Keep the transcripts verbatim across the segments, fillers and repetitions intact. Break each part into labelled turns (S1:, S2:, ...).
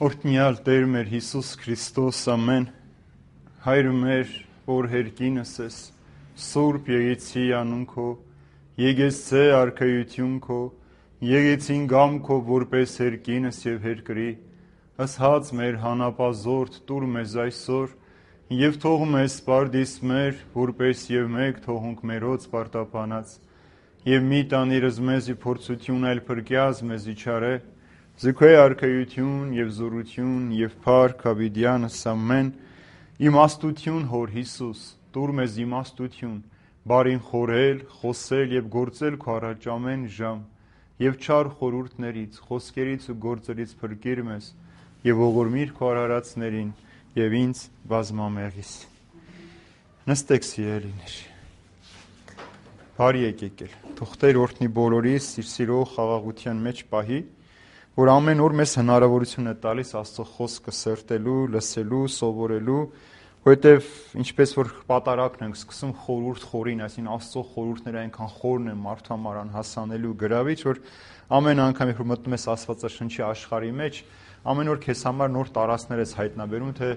S1: Օրհնյալ Տեր մեր Հիսուս Քրիստոս, ամեն Հայր մեր, որ հերկինս ես, Սուրբ եղեցի անուն քո, եկեցե արքայություն քո, եկեցին գամ քո որպես հերկինս եւ հերկրի, ասած մեր հանապազորդ տուր մեզ այսօր, եւ թող մեզ սպարդիս մեր, որպես եւ մեկ թողունք մերոց պարտապանած, եւ մի տանիրս մեզի փորձություն այլ փրկյազ մեզի չարե, Զիքոյ արքայություն եւ զորություն եւ փառք հավիդյանս ամեն իմաստություն հոր Հիսուս տուր մեզ իմաստություն բարին խորել խոսել եւ գործել քո առաջ ամեն ժամ եւ չար խորհուրդներից խոսքերից ու գործերից փրկիր մեզ եւ ողորմիր քո արարածներին եւ ինձ բազմամեղիս նստեք սիրելիներ բարի եկեք թող Տեր օրհնի բոլորիս իր սիրո խաղաղության մեջ պահի որ ամեն օր մեզ հնարավորություն է տալիս Աստծո խոսքը սրտելու, լսելու, սովորելու, որովհետև ինչպես որ պատարակն ենք սկսում խորհուրդ խորին, այսինքն Աստծո խորհուրդները այնքան խորն են մարդու համար անհասանելի ու գրավիչ, որ ամեն անգամ երբ մտնում ես Աստվածաշնչի աշխարհի մեջ, ամեն օր քեզ համար նոր տարածքներ ես հայտնաբերում, թե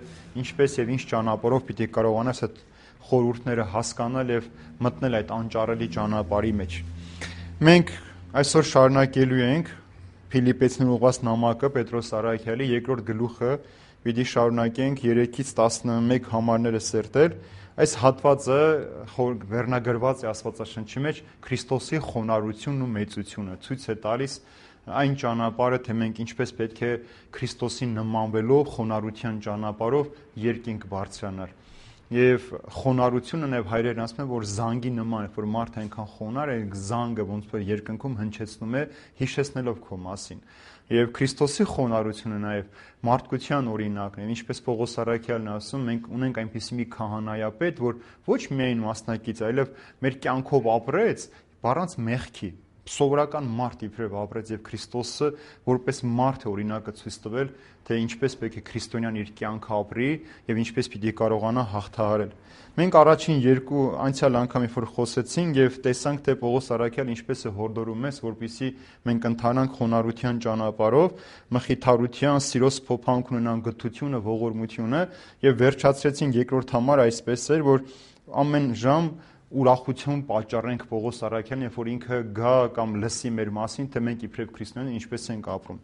S1: ինչպես եւ ինչ ճանապարհով պիտի կարողանաս այդ խորհուրդները հասկանալ եւ մտնել այդ անճարելի ճանապարհի մեջ։ Մենք այսօր շարունակելու ենք Փիլիպեցիներին ուղղված նամակը Պետրոս Առաքյալի երկրորդ գլուխը պիտի շարունակենք երեքից տասնմեկ համարները սերտել այս հատվածը վերնագրված է Աստվածաշնչի մեջ Քրիստոսի խոնարհությունն ու մեծությունը ցույց է տալիս այն ճանապարհը թե մենք ինչպես պետք է Քրիստոսին նմանվելով խոնարհության ճանապարհով երկինք բարձրանալ Եվ խոնարհությունը նաև հայերեն ասում են, որ զանգի նման է, որ մարդը այնքան խոնար է, զանգը ոնց որ երկնքում հնչեցնում է, հիշեցնելով քո մասին։ Եվ Քրիստոսի խոնարհությունը նաև մարդկության օրինակն է, ինչպես Պողոս Առաքյալն ասում, մենք ունենք այնպիսի մի քահանայապետ, որ ոչ միայն մասնակից, այլև մեր կյանքով ապրեց, առանց մեղքի սովորական մարդ իբրև ապրեց եւ Քրիստոսը որպես մարդ է օրինակը ցույց տվել թե ինչպես պետք է քրիստոնյան իր կյանքը ապրի եւ ինչպես պիտի կարողանա հաղթահարել։ Մենք առաջին երկու անցյալ անգամ որ խոսեցինք եւ տեսանք թե Պողոս Առաքյալը ինչպես է հորդորում մեզ որպեսզի մենք ընթանանք խոնարհության ճանապարհով, մխիթարության, սիրոս փոփանք ունենան գթությունը, ողորմությունը եւ վերջացրեցինք երկրորդ համար այսպես էր որ ամեն ժամ ուրախություն պատճառենք Պողոս Առաքյալին, երբ որ ինքը գա կամ լսի մեր մասին, թե մենք իբրև քրիստոնյաներ ինչպես ենք ապրում։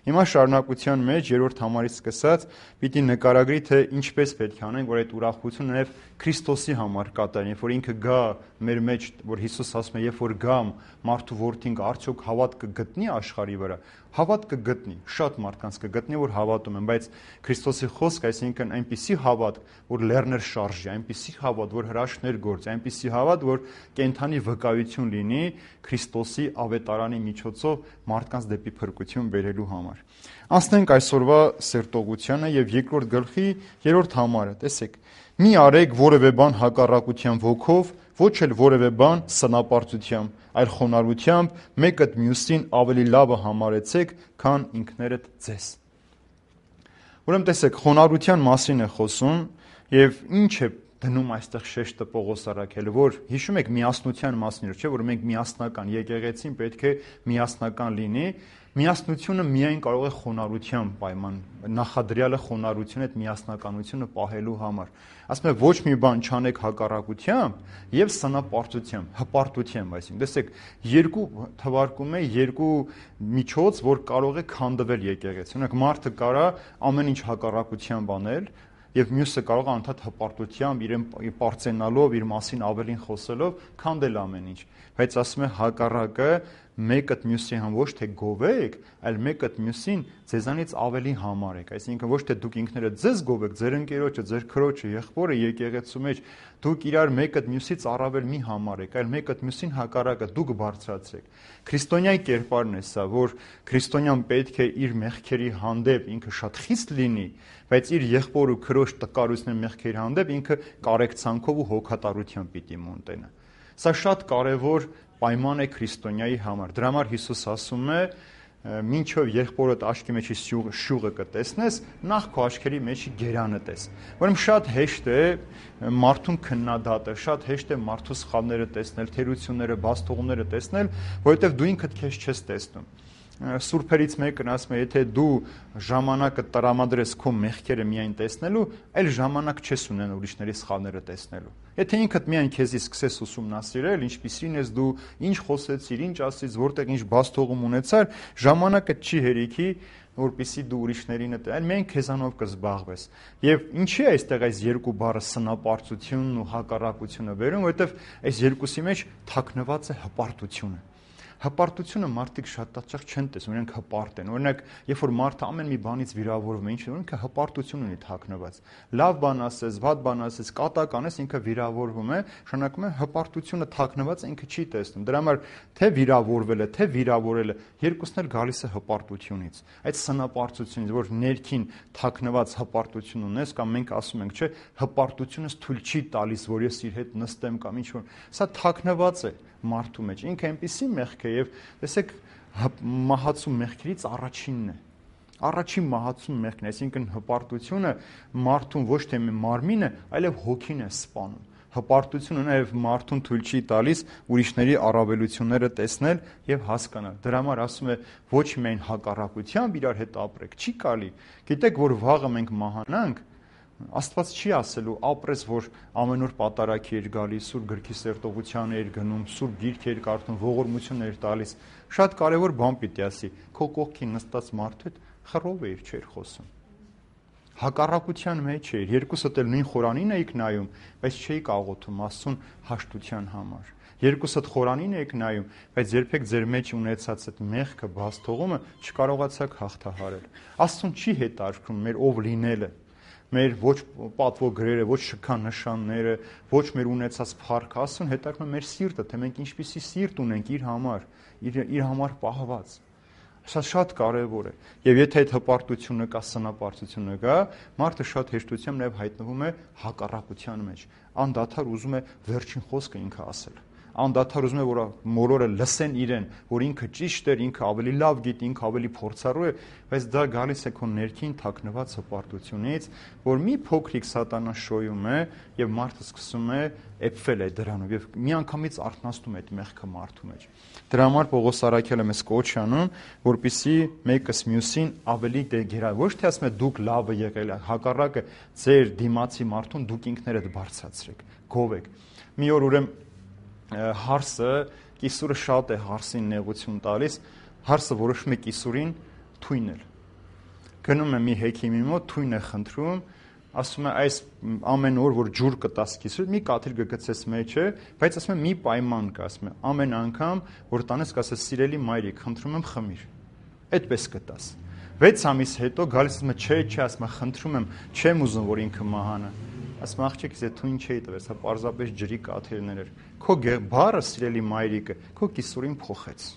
S1: Հիմա շարունակության մեջ երրորդ համարից սկսած պիտի նկարագրի, թե ինչպես պետք է անենք, որ այդ ուրախությունը նաև Քրիստոսի համար կատարենք, երբ որ ինքը գա մեր մեջ, որ Հիսուս ասում է, երբ որ գամ մարդու որդին արդյոք հավատ կգտնի աշխարհի վրա, հավատ կգտնի, շատ մարդկանց կգտնի, որ հավատում են, բայց Քրիստոսի խոսքը, այսինքն այնպիսի հավատ, որ լեռներ շարժի, այնպիսի հավատ, որ հրաշքներ գործի, այնպիսի հավատ, որ կենթանի վկայություն լինի Քրիստոսի ավետարանի միջոցով մարդկանց դեպի փրկություն բերելու համար։ Անցնենք այսօրվա սերտողությանը եւ երկրորդ գլխի երրորդ համարը, տեսեք։ Մի արեք որևէ բան հակառակության ոգով, ոչ էլ որևէ բան սնապարտությամբ, այլ խոնարհությամբ մեկդ մյուսին ավելի լավը համարեցեք, քան ինքներդ ձեզ։ Ուրեմն տեսեք, խոնարհության մասին է խոսում եւ ինչ է դնում այստեղ շեշտը Պողոս Առաքյալը, որ հիշում եք միասնության մասին, չէ՞, որ մենք միասնական եկեղեցին պետք է միասնական լինի, միասնությունը միայն կարող է խոնարհությամբ պայման, նախադրյալը խոնարհությունը այդ միասնականությունը պահելու համար։ Ասում է ոչ մի բան չանեք հակառակությամբ եւ սնապարտությամբ, հպարտությամբ, այսինքն, տեսեք, երկու թվարկում է երկու միջոց, որ կարող է քանդվել եկեղեցի։ Օրինակ մարդը կարա ամեն ինչ հակառակությամբ անել Եվ մյուսը կարող է անդադ հպարտությամբ իրեն պարծենալով, իր մասին ավելին խոսելով քանդել ամեն ինչ։ Բայց ասում է հակառակը մեկդ մյուսի համ ոչ թե գովեք, այլ մեկդ մյուսին ձեզանից ավելի համարեք։ Այսինքն ոչ թե դուք ինքներդ ձեզ գովեք, ձեր ընկերոջը, ձեր քրոջը, եղբորը եկեղեցու մեջ դուք իրար մեկդ մյուսից առավել մի համարեք, այլ մեկդ մյուսին հակառակը դուք բարձրացրեք։ Քրիստոնյայի կերպարն է սա, որ քրիստոնյան պետք է իր մեղքերի հանդեպ ինքը շատ խիստ լինի, բայց իր եղբոր ու քրոջ տկարության մեղքերի հանդեպ ինքը կարեկցանքով ու հոգատարությամբ պիտի մոնտենա։ Սա շատ կարևոր պայման է քրիստոնյայի համար։ Դրա համար Հիսուս ասում է, մինչև եղբորդ աչքի մեջի շյուղը կտեսնես, նախ քո աչքերի մեջի գերանը տես։ Ուրեմն շատ հեշտ է մարդուն քննադատը, շատ հեշտ է մարդու սխալները տեսնել, թերությունները, բացթողումները տեսնել, որովհետև դու ինքդ քեզ չես տեսնում։ Սուրբերից մեկն ասում է, եթե դու ժամանակը տրամադրես քո մեղքերը միայն տեսնելու, այլ ժամանակ չես ունենա ուրիշների սխալները տեսնելու։ Եթե ինքդ միայն քեզի սկսես ուսումնասիրել, ինչպիսին ես դու, ինչ խոսեցիր, ինչ ասից, որտեղ ինչ բաստողում ունեցար, ժամանակը չի հերիքի, որպեսզի դու ուրիշներին դե, այլ միայն քեզանով կզբաղվես։ Եվ ինչի է այստեղ այս երկու բառը սնապարտությունն ու հակառակությունը վերում, որովհետև այս երկուսի մեջ թաքնված է հպարտությունը։ Հպարտությունը մարդիկ շատ հաճախ չեն տեսնում, իրենք հպարտ են։ Օրինակ, երբ որ մարդը ամեն մի բանից վիրավորվում է, ինչ է, ինքը հպարտություն ունի թաքնված։ Լավ բան ասես, վատ բան ասես, կատակ անես, ինքը վիրավորվում է, շնորհակում է հպարտությունը թաքնված է, ինքը չի տեսնում։ Դրա համար թե վիրավորվել է, թե վիրավորել է, երկուսն էլ գալիս է հպարտությունից։ Այդ սնապարտությունից, որ ներքին թաքնված հպարտություն ունես, կամ մենք ասում ենք, չէ, հպարտությունս թույլ չի տալիս, որ ես իր հետ նստեմ կամ ինչ որ, սա թաքնված է մարդու մեջ, ինքը այնպեսի մեղք է եւ տեսեք մահացու մեղքերից առաջինն է, առաջին մահացու մեղքն է, այսինքն հպարտությունը մարդուն ոչ թե մարմինը, այլև հոգին է սպանում։ Հպարտությունը նաև մարդուն թույլ չի տալիս ուրիշների առավելությունները տեսնել եւ հասկանալ։ Դրա համար ասում է ոչ միայն հակառակությամբ իրար հետ ապրեք, չի կարելի։ Գիտեք, որ վաղը մենք մահանանք, Աստված չի ասելու ապրես, որ ամեն օր պատարագի էր գալիս, սուրբ գրքի սերտողության էր գնում, սուրբ գիրք էր կարդում, ողորմություն էր տալիս։ Շատ կարևոր բան պիտի ասի, քո կողքին նստած մարդու հետ խռով էր, չէր խոսում։ Հակառակության մեջ էր, երկուսդ էլ նույն խորանին էիք նայում, բայց չէիք աղոթում Աստծուն հաշտության համար։ Երկուսդ խորանին էիք նայում, բայց երբեք ձեր մեջ ունեցած այդ մեղքը, բաստողումը չկարողացաք հաղթահարել։ Աստծուն չի հետաքրքրում մեր ով լինելը, մեր ոչ պատվո գրերը, ոչ շքանշանները, ոչ մեր ունեցած փառքը, Աստծուն հետաքրքրում է մեր սիրտը, թե մենք ինչպիսի սիրտ ունենք իր համար, իր, իր համար պահված։ Սա շատ կարևոր է։ Եվ եթե այդ հպարտությունը կա, սնապարտությունը կա, մարդը շատ հեշտությամբ նաև հայտնվում է հակառակության մեջ։ Անդադար ուզում է վերջին խոսքը ինքը ասել։ Անդադար ուզում է, որ մորորը լսեն իրեն, որ ինքը ճիշտ էր, ինքը ավելի լավ գիտի, ինքը ավելի փորձառու է, բայց դա գալիս է քո ներքին թաքնված հպարտությունից, որ մի փոքրիկ սատանա շոյում է եւ մարդը սկսում է էփվել այդ դրանով եւ միանգամից արթնացնում է այդ մեղքը մարդու մեջ։ Դրա համար Պողոս Արաքյալը մեզ կոչ է անում, որպեսզի մեկս մյուսին ավելի գերա, ոչ թե ասում է դուք լավը եղել, հակառակը ձեր դիմացի մարդուն դուք ինքներդ բարձրացրեք, գովեք։ Մի օր ուրեմն հարսը, կիսուրը շատ է հարսին նեղություն տալիս, հարսը որոշում է կիսուրին թույնել։ Գնում է մի հեքիմի մոտ, թույն է խնդրում, ասում է այս ամեն օր, որ ջուր կտաս կիսուրին, մի կաթիլ կգցես մեջը, բայց ասում է մի պայման կա, ասում է ամեն անգամ, որ տանես կասես սիրելի մայրիկ, խնդրում եմ խմիր, այդպես կտաս։ Վեց ամիս հետո գալիս ասում է չէ, չէ, ասում է խնդրում եմ, չեմ ուզում, որ ինքը մահանա։ Ասում աղջիկ, ես թույն չէի տվել, սա պարզապես ջրի կաթիլներ էր։ Քո բառը, սիրելի մայրիկը, քո կիսուրին փոխեց,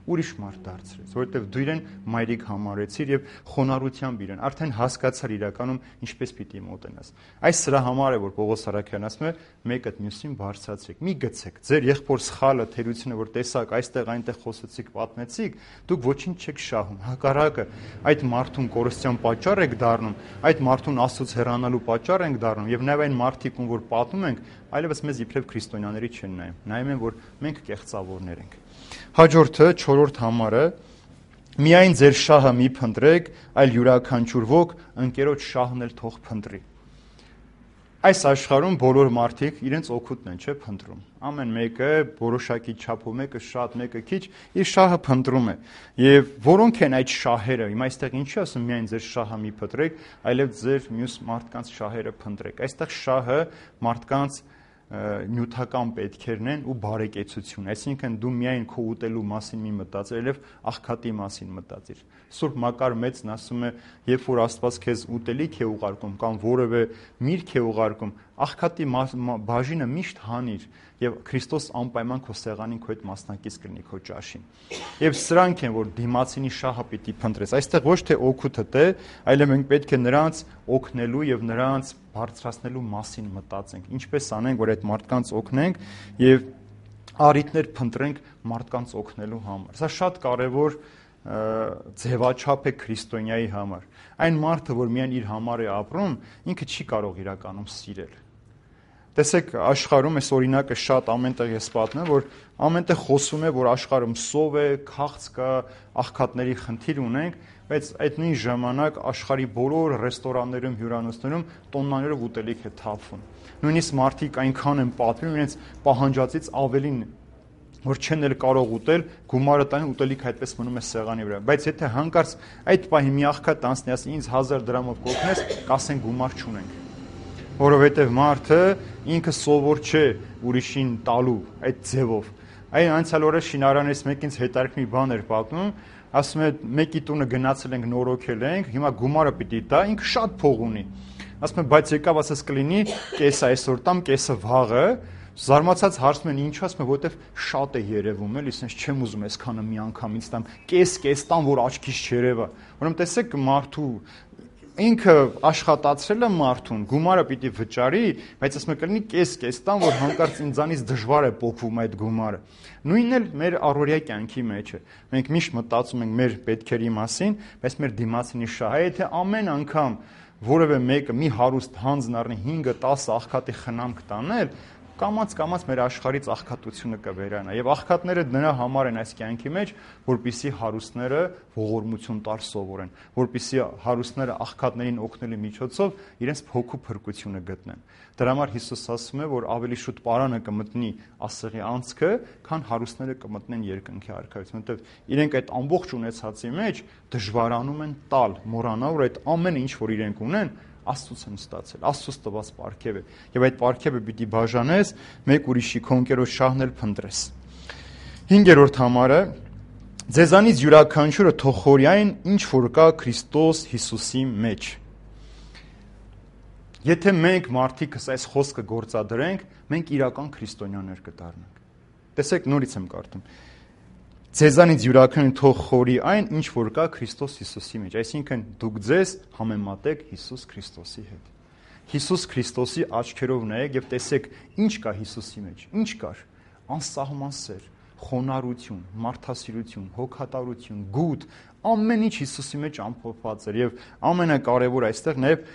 S1: ուրիշ մարդ դարձրեց, որովհետև դու իրեն մայրիկ համարեցիր եւ խոնարհությամբ իրեն արդեն հասկացար իրականում ինչպես պիտի մոտենաս։ Այս սրա համար է, որ Պողոս Արաքյալն ասում է, մեկդ մյուսին բարձրացրեք, մի գցեք, ձեր եղբոր սխալը, թերությունը, որ տեսակ, այստեղ այնտեղ խոսեցիք, պատմեցիք, դուք ոչինչ չեք շահում, հակառակը, այդ մարդուն կորստյան պատճառ եք դառնում, այդ մարդուն Աստծուց հեռանալու պատճառ ենք դառնում եւ նաեւ այն մարդիկ, ում որ պատում ենք, այլևս մեզ իբրև քրիստոնյաների չեն նայում, նայում են, որ մենք կեղծավորներ ենք։ Հաջորդը, չորրորդ համարը, միայն ձեր շահը մի փնտրեք, այլ յուրաքանչյուր ոք ընկերոջ շահն էլ թող փնտրի։ Այս աշխարհում բոլոր մարդիկ իրենց օգուտն են, չէ, փնտրում։ Ամեն մեկը որոշակի չափով, մեկը շատ, մեկը քիչ, իր շահը փնտրում է։ Եվ որոնք են այդ շահերը։ Հիմա այստեղ ինչի ասում միայն ձեր շահը մի փնտրեք, այլև ձեր մյուս մարդկանց շահերը փնտրեք։ Այստեղ շահը մարդկանց նյութական պետքերն են ու բարեկեցություն, այսինքն դու միայն քո ուտելու մասին մի մտածիր, այլև աղքատի մասին մտածիր։ Սուրբ Մակար Մեծն ասում է, երբ որ Աստված քեզ ուտելիք է ուղարկում կամ որևէ միրգ է ուղարկում, աղքատի բաժինը միշտ հանիր եւ Քրիստոս անպայման քո սեղանին քո հետ մասնակից կլինի քո ճաշին։ Եվ սրանք են, որ դիմացինի շահը պիտի փնտրես։ Այստեղ ոչ թե օգուտը թե, այլև մենք պետք է նրանց օգնելու եւ նրանց բարձրացնելու մասին մտածենք։ Ինչպես անենք, որ այդ մարդկանց օգնենք եւ առիթներ փնտրենք մարդկանց օգնելու համար։ Սա շատ կարեւոր ձևաչափ է քրիստոնյայի համար։ Այն մարդը, որ միայն իր համար է ապրում, ինքը չի կարող իրականում սիրել։ Տեսեք, աշխարհում այս օրինակը շատ ամենտեղ ես պատմեմ, որ ամենտեղ խոսում է, որ աշխարհում սով է, քաղց կա, աղքատների խնդիր ունենք, բայց այդ նույն ժամանակ աշխարհի բոլոր ռեստորաններում, հյուրանոցներում տոննաներով ուտելիք է թափվում։ Նույնիսկ մարդիկ այնքան են պատվիրում իրենց պահանջածից ավելին, որ չեն էլ կարող ուտել, գումարը տան ուտելիք այդպես մնում է սեղանի վրա։ Բայց եթե հանկարծ այդ պահի մի աղքատ անցնի, ասի ինձ հազար դրամով կօգնես, կասեն գումար չունենք։ Որովհետև մարդը ինքը սովոր չէ ուրիշին տալու այդ ձևով։ Այն անցյալ օրը շինարարներից մեկին հետարքնի բան էր պատմում, ասում է մեկի տունը գնացել ենք նորոգել ենք, հիմա գումարը պիտի տա, ինքը շատ փող ունի։ Ասում է բայց եկավ ասես կլինի կեսը այսօր տամ, կեսը վաղը, զարմացած հարցնում են ինչու, ասում է որովհետև շատ է երևում, էլի, ասես չեմ ուզում այսքանը մի անգամ ինձ տամ, կես-կես տամ, որ աչքից չերևա։ Ուրեմն տեսեք մարդու ինքը աշխատացրել է մարդուն, գումարը պիտի վճարի, բայց ասում է կլինի կես-կես տամ, որ հանկարծ ինձանից դժվար է փոխվում այդ գումարը։ Նույնն էլ մեր առօրյա կյանքի մեջ է։ Մենք միշտ մտածում ենք մեր պետքերի մասին, բայց մեր դիմացինի շահը, եթե ամեն անգամ որևէ մեկը մի հարուստ հանձն առնի հինգ տասը աղքատի խնամք տանել, կամաց-կամաց մեր աշխարհից աղքատությունը կվերանա եւ աղքատները նրա համար են այս կյանքի մեջ, որպիսի հարուստները ողորմություն տալ սովորեն, որպիսի հարուստները աղքատներին օգնելու միջոցով իրենց փոքու փրկությունը գտնեն։ Դրա համար Հիսուս ասում է, որ ավելի շուտ պարանը կմտնի ասեղի անցքը, քան հարուստները կմտնեն երկնքի արքայություն, որովհետեւ իրենք այդ ամբողջ ունեցածի մեջ դժվարանում են տալ, մոռանալ, որ այդ ամենը ինչ որ իրենք ունեն Աստծուց են ստացել, Աստծուց տված պարգև է, եւ այդ պարգևը պիտի բաժանես, մեկ ուրիշի քո ընկերոջ շահն էլ փնտրես։ Հինգերորդ համարը ձեզանից յուրաքանչյուրը թող խորի այն, ինչ որ կա Քրիստոս Հիսուսի մեջ։ Եթե մենք մարդիկս այս խոսքը գործադրենք, մենք իրական քրիստոնյաներ կդառնանք։ Տեսեք, նորից եմ կարդում։ Ձեզանից յուրաքանչյուրը թող խորի այն, ինչ որ կա Քրիստոս Հիսուսի մեջ, այսինքն դուք ձեզ համեմատեք Հիսուս Քրիստոսի հետ։ Հիսուս Քրիստոսի աչքերով նայեք եւ տեսեք ինչ կա Հիսուսի մեջ։ Ինչ կար։ Անսահման սեր, խոնարհություն, մարդասիրություն, հոգատարություն, գութ, ամեն ինչ Հիսուսի մեջ ամփոփված էր եւ ամենակարևորը այստեղ նաեւ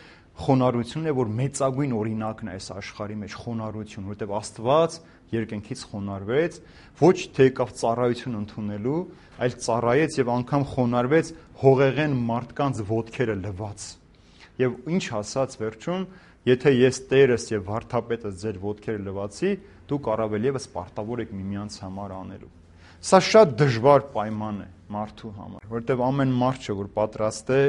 S1: խոնարհությունն է, որ մեծագույն օրինակն է այս աշխարհի մեջ, խոնարհություն, որտեղ Աստված երկնքից խոնարհվեց, ոչ թե եկավ ծառայություն ընդունելու, այլ ծառայեց եւ անգամ խոնարհվեց հողեղեն մարդկանց ոտքերը լվաց։ Եվ ինչ ասաց վերջում, եթե ես Տերս եւ Վարդապետս ձեր ոտքերը լվացի, դուք առավել եւս պարտավոր եք միմյանց համար անելու։ Սա շատ դժվար պայման է մարդու համար, որովհետև ամեն մարդ չէ, որ պատրաստ է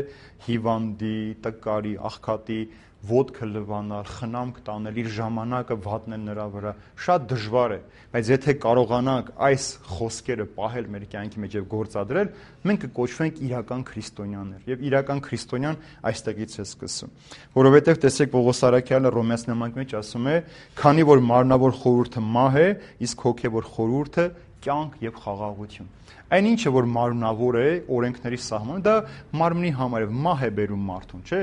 S1: հիվանդի, տկարի, աղքատի ոտքը լվանալ, խնամք տանել, իր ժամանակը վատնել նրա վրա, շատ դժվար է, բայց եթե կարողանանք այս խոսքերը պահել մեր կյանքի մեջ եւ գործադրել, մենք կկոչվենք իրական քրիստոնյաներ, եւ իրական քրիստոնյան այստեղից է սկսում, որովհետեւ տեսեք Պողոս առաքյալը Հռոմեացի նամակի մեջ ասում է, քանի որ մարմնավոր խորհուրդը մահ է, իսկ հոգեվոր խորհուրդը կյանք եւ խաղաղություն։ Այն ինչը որ մարմնավոր է, օրենքների սահմանը, դա մարմնի համար է, մահ է բերում մարդուն, չէ՞։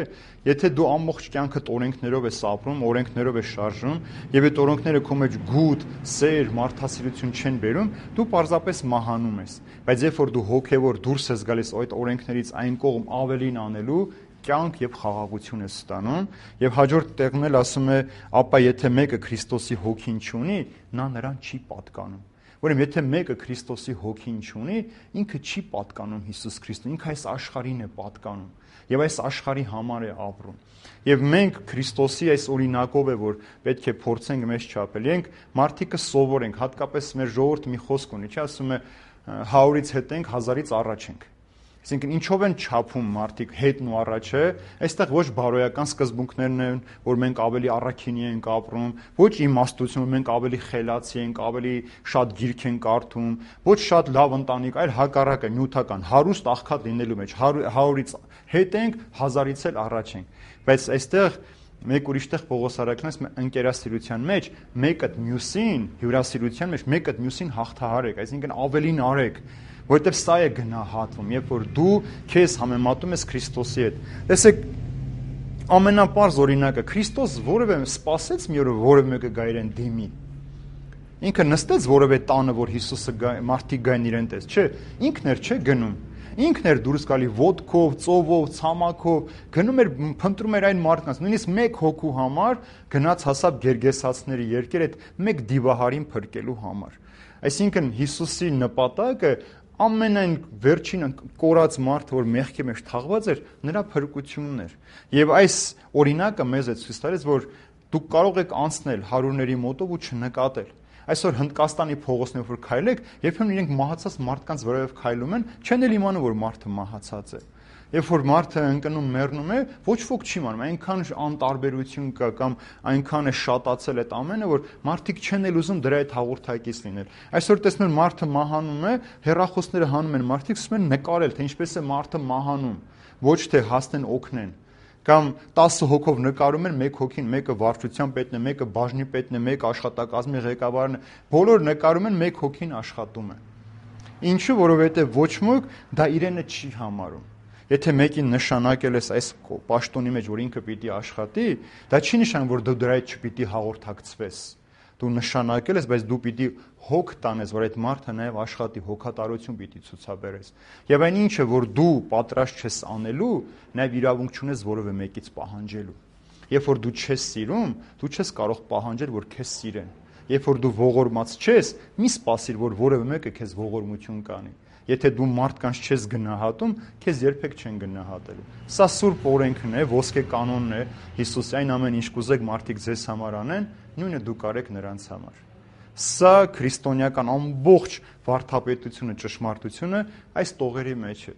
S1: Եթե դու ամբողջ կյանքդ օրենքներով ես ապրում, օրենքներով ես շարժվում, եւ այդ օրենքները քո մեջ գութ, սեր, մարդասիրություն չեն բերում, դու պարզապես մահանում ես։ Բայց երբ որ դու հոգեվոր դուրս ես գալիս այդ օրենքներից այն կողմ ավելին անելու, կյանք եւ խաղաղություն է ստանում եւ հաջորդ տեղն էլ ասում է, ապա եթե մեկը Քրիստոսի հոգին չունի, նա նրան չի պատկանում։ Ուրեմն եթե մեկը Քրիստոսի հոգին չունի, ինքը չի պատկանում Հիսուս Քրիստոսին, ինքը այս աշխարհին է պատկանում եւ այս աշխարհի համար է ապրում։ Եվ մենք Քրիստոսի այս օրինակով է, որ պետք է փորձենք մեզ չափել։ Ենք մարդիկը սովորենք, հատկապես մեր ժողովուրդը մի խոսք ունի, չի ասում է հարից հետ ենք, հազարից առաջ ենք։ Այսինքն ինչով են չափում մարդիկ հետն ու առաջը, այստեղ ոչ բարոյական սկզբունքներն են, որ մենք ավելի առաքինի ենք ապրում, ոչ իմաստություն, որ մենք ավելի խելացի ենք, ավելի շատ գիրք ենք կարդում, ոչ շատ լավ ընտանիք, այլ հակառակը նյութական, հարուստ աղքատ լինելու մեջ, հարյուրից հետ ենք, հազարից էլ առաջ ենք։ Բայց այստեղ մեկ ուրիշտեղ Պողոս առաքյալն ընկերասիրության մեջ մեկըդ մյուսին, հյուրասիրության մեջ մեկըդ մյուսին հաղթահարեք, այսինքն ավելին արեք, որովհետև սա է գնահատվում, երբ որ դու քեզ համեմատում ես Քրիստոսի հետ։ Տեսեք, ամենապարզ օրինակը Քրիստոս որևէ սպասեց մի օր որևէ մեկը գա իրեն դիմի։ Ինքը նստեց որևէ տանը, որ Հիսուսը մարդիկ գային իրեն տես, չէ, ինքն էր չէ գնում։ ինքն էր դուրս գալի ոտքով, ծովով, ցամաքով, գնում էր փնտրում էր այն մարդկանց, նույնիսկ մեկ հոգու համար գնաց հասավ Գերգեսացիների երկեր այդ մեկ դիվահարին փրկելու համար։ Այսինքն Հիսուսի նպատակը ամենայն վերջին կորած մարդը, որ մեղքի մեջ թաղված էր, նրա փրկությունն էր։ Եվ այս օրինակը մեզ է ցույց տալիս, որ դուք կարող եք անցնել հարուրների մոտով ու չնկատել։ Այսօր Հնդկաստանի փողոցներով որ քայլեք, երբեմն իրենք մահացած մարդկանց վրայով քայլում են, չեն էլ իմանում, որ մարդը մահացած է։ Երբ որ մարդը ընկնում մեռնում է, ոչ ոք չի իմանում, այնքան անտարբերություն կա կամ այնքան է շատացել այդ ամենը, որ մարդիկ չեն էլ ուզում դրա հետ հաղորդակից լինել։ Այսօր տեսնում են մարդը մահանում է, հեռախոսները հանում են, մարդիկ սկսում են նկարել, թե ինչպես է մարդը մահանում, ոչ թե հասնեն օգնեն։ Կամ տասը հոգով նկարում են, մեկ հոգին, մեկը վարչության պետն է, մեկը բաժնի պետն է, մեկը աշխատակազմի ղեկավարն է, բոլոր նկարում են, մեկ հոգին աշխատում է։ Ինչու, որովհետև ոչ ոք դա իրենը չի համարում։ Եթե մեկին նշանակել ես այս պաշտոնի մեջ, որ ինքը պիտի աշխատի, դա չի նշանակում, որ դու դրա հետ չպիտի հաղորդակցվես։ Դու նշանակել ես, բայց դու պիտի հոգ տանես, որ այդ մարդը նաև աշխատի, հոգատարություն պիտի ցուցաբերես։ Եվ այն ինչը, որ դու պատրաստ չես անելու, նաև իրավունք չունես որևէ մեկից պահանջելու։ Երբ որ դու չես սիրում, դու չես կարող պահանջել, որ քեզ սիրեն։ Երբ որ դու ողորմած չես, մի սպասիր, որ որևէ մեկը քեզ ողորմություն կանի։ Եթե դու մարդկանց չես գնահատում, քեզ երբեք չեն գնահատելու։ Սա սուրբ օրենքն է, ոսկե կանոնն է Հիսուսի, այն ամեն ինչ կուզեք մարդիկ ձեզ համար անեն, նույնը դուք արեք նրանց համար։ Սա քրիստոնեական ամբողջ վարդապետությունը, ճշմարտությունը այս տողերի մեջ է,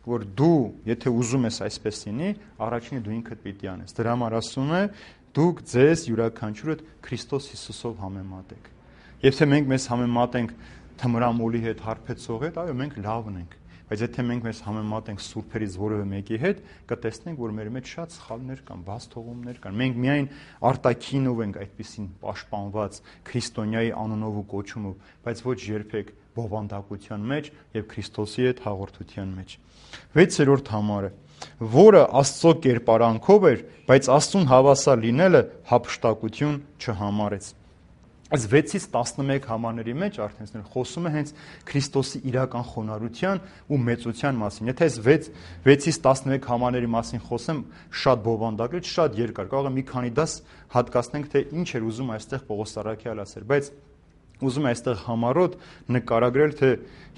S1: որ դու, եթե ուզում ես այսպես լինի, առաջինը դու ինքդ պիտի անես։ Դրա համար ասում է, դուք ձեզ յուրաքանչյուրդ Քրիստոս Հիսուսով համեմատեք։ Եթե մենք մեզ համեմատենք թմրամոլի հետ, հարբեցող հետ, այո, մենք լավն ենք, բայց եթե մենք մեզ համեմատենք սուրբերից որևէ մեկի հետ, կտեսնենք, որ մեր մեջ շատ սխալներ կան, բաց թողումներ կան։ Մենք միայն արտաքինով ենք այդպեսին պաշտպանված քրիստոնյայի անունով ու կոչումով, բայց ոչ երբեք բովանդակության մեջ եւ Քրիստոսի հետ հաղորդության մեջ։ վեցերորդ համարը, որը Աստծո կերպարանքով էր, բայց Աստծուն հավասար լինելը հափշտակություն չհամարեց։ Այս վեցից տասնմեկ համարների մեջ արդեն խոսում է հենց Քրիստոսի իրական խոնարհության ու մեծության մասին։ Եթե այս վեցից տասնմեկ համարների մասին խոսեմ, շատ բովանդակել, շատ երկար, կարող է մի քանի դաս հատկացնենք, թե ինչ էր ուզում այստեղ Պողոս առաքյալը ասել, բայց ուզում է այստեղ համառոտ նկարագրել, թե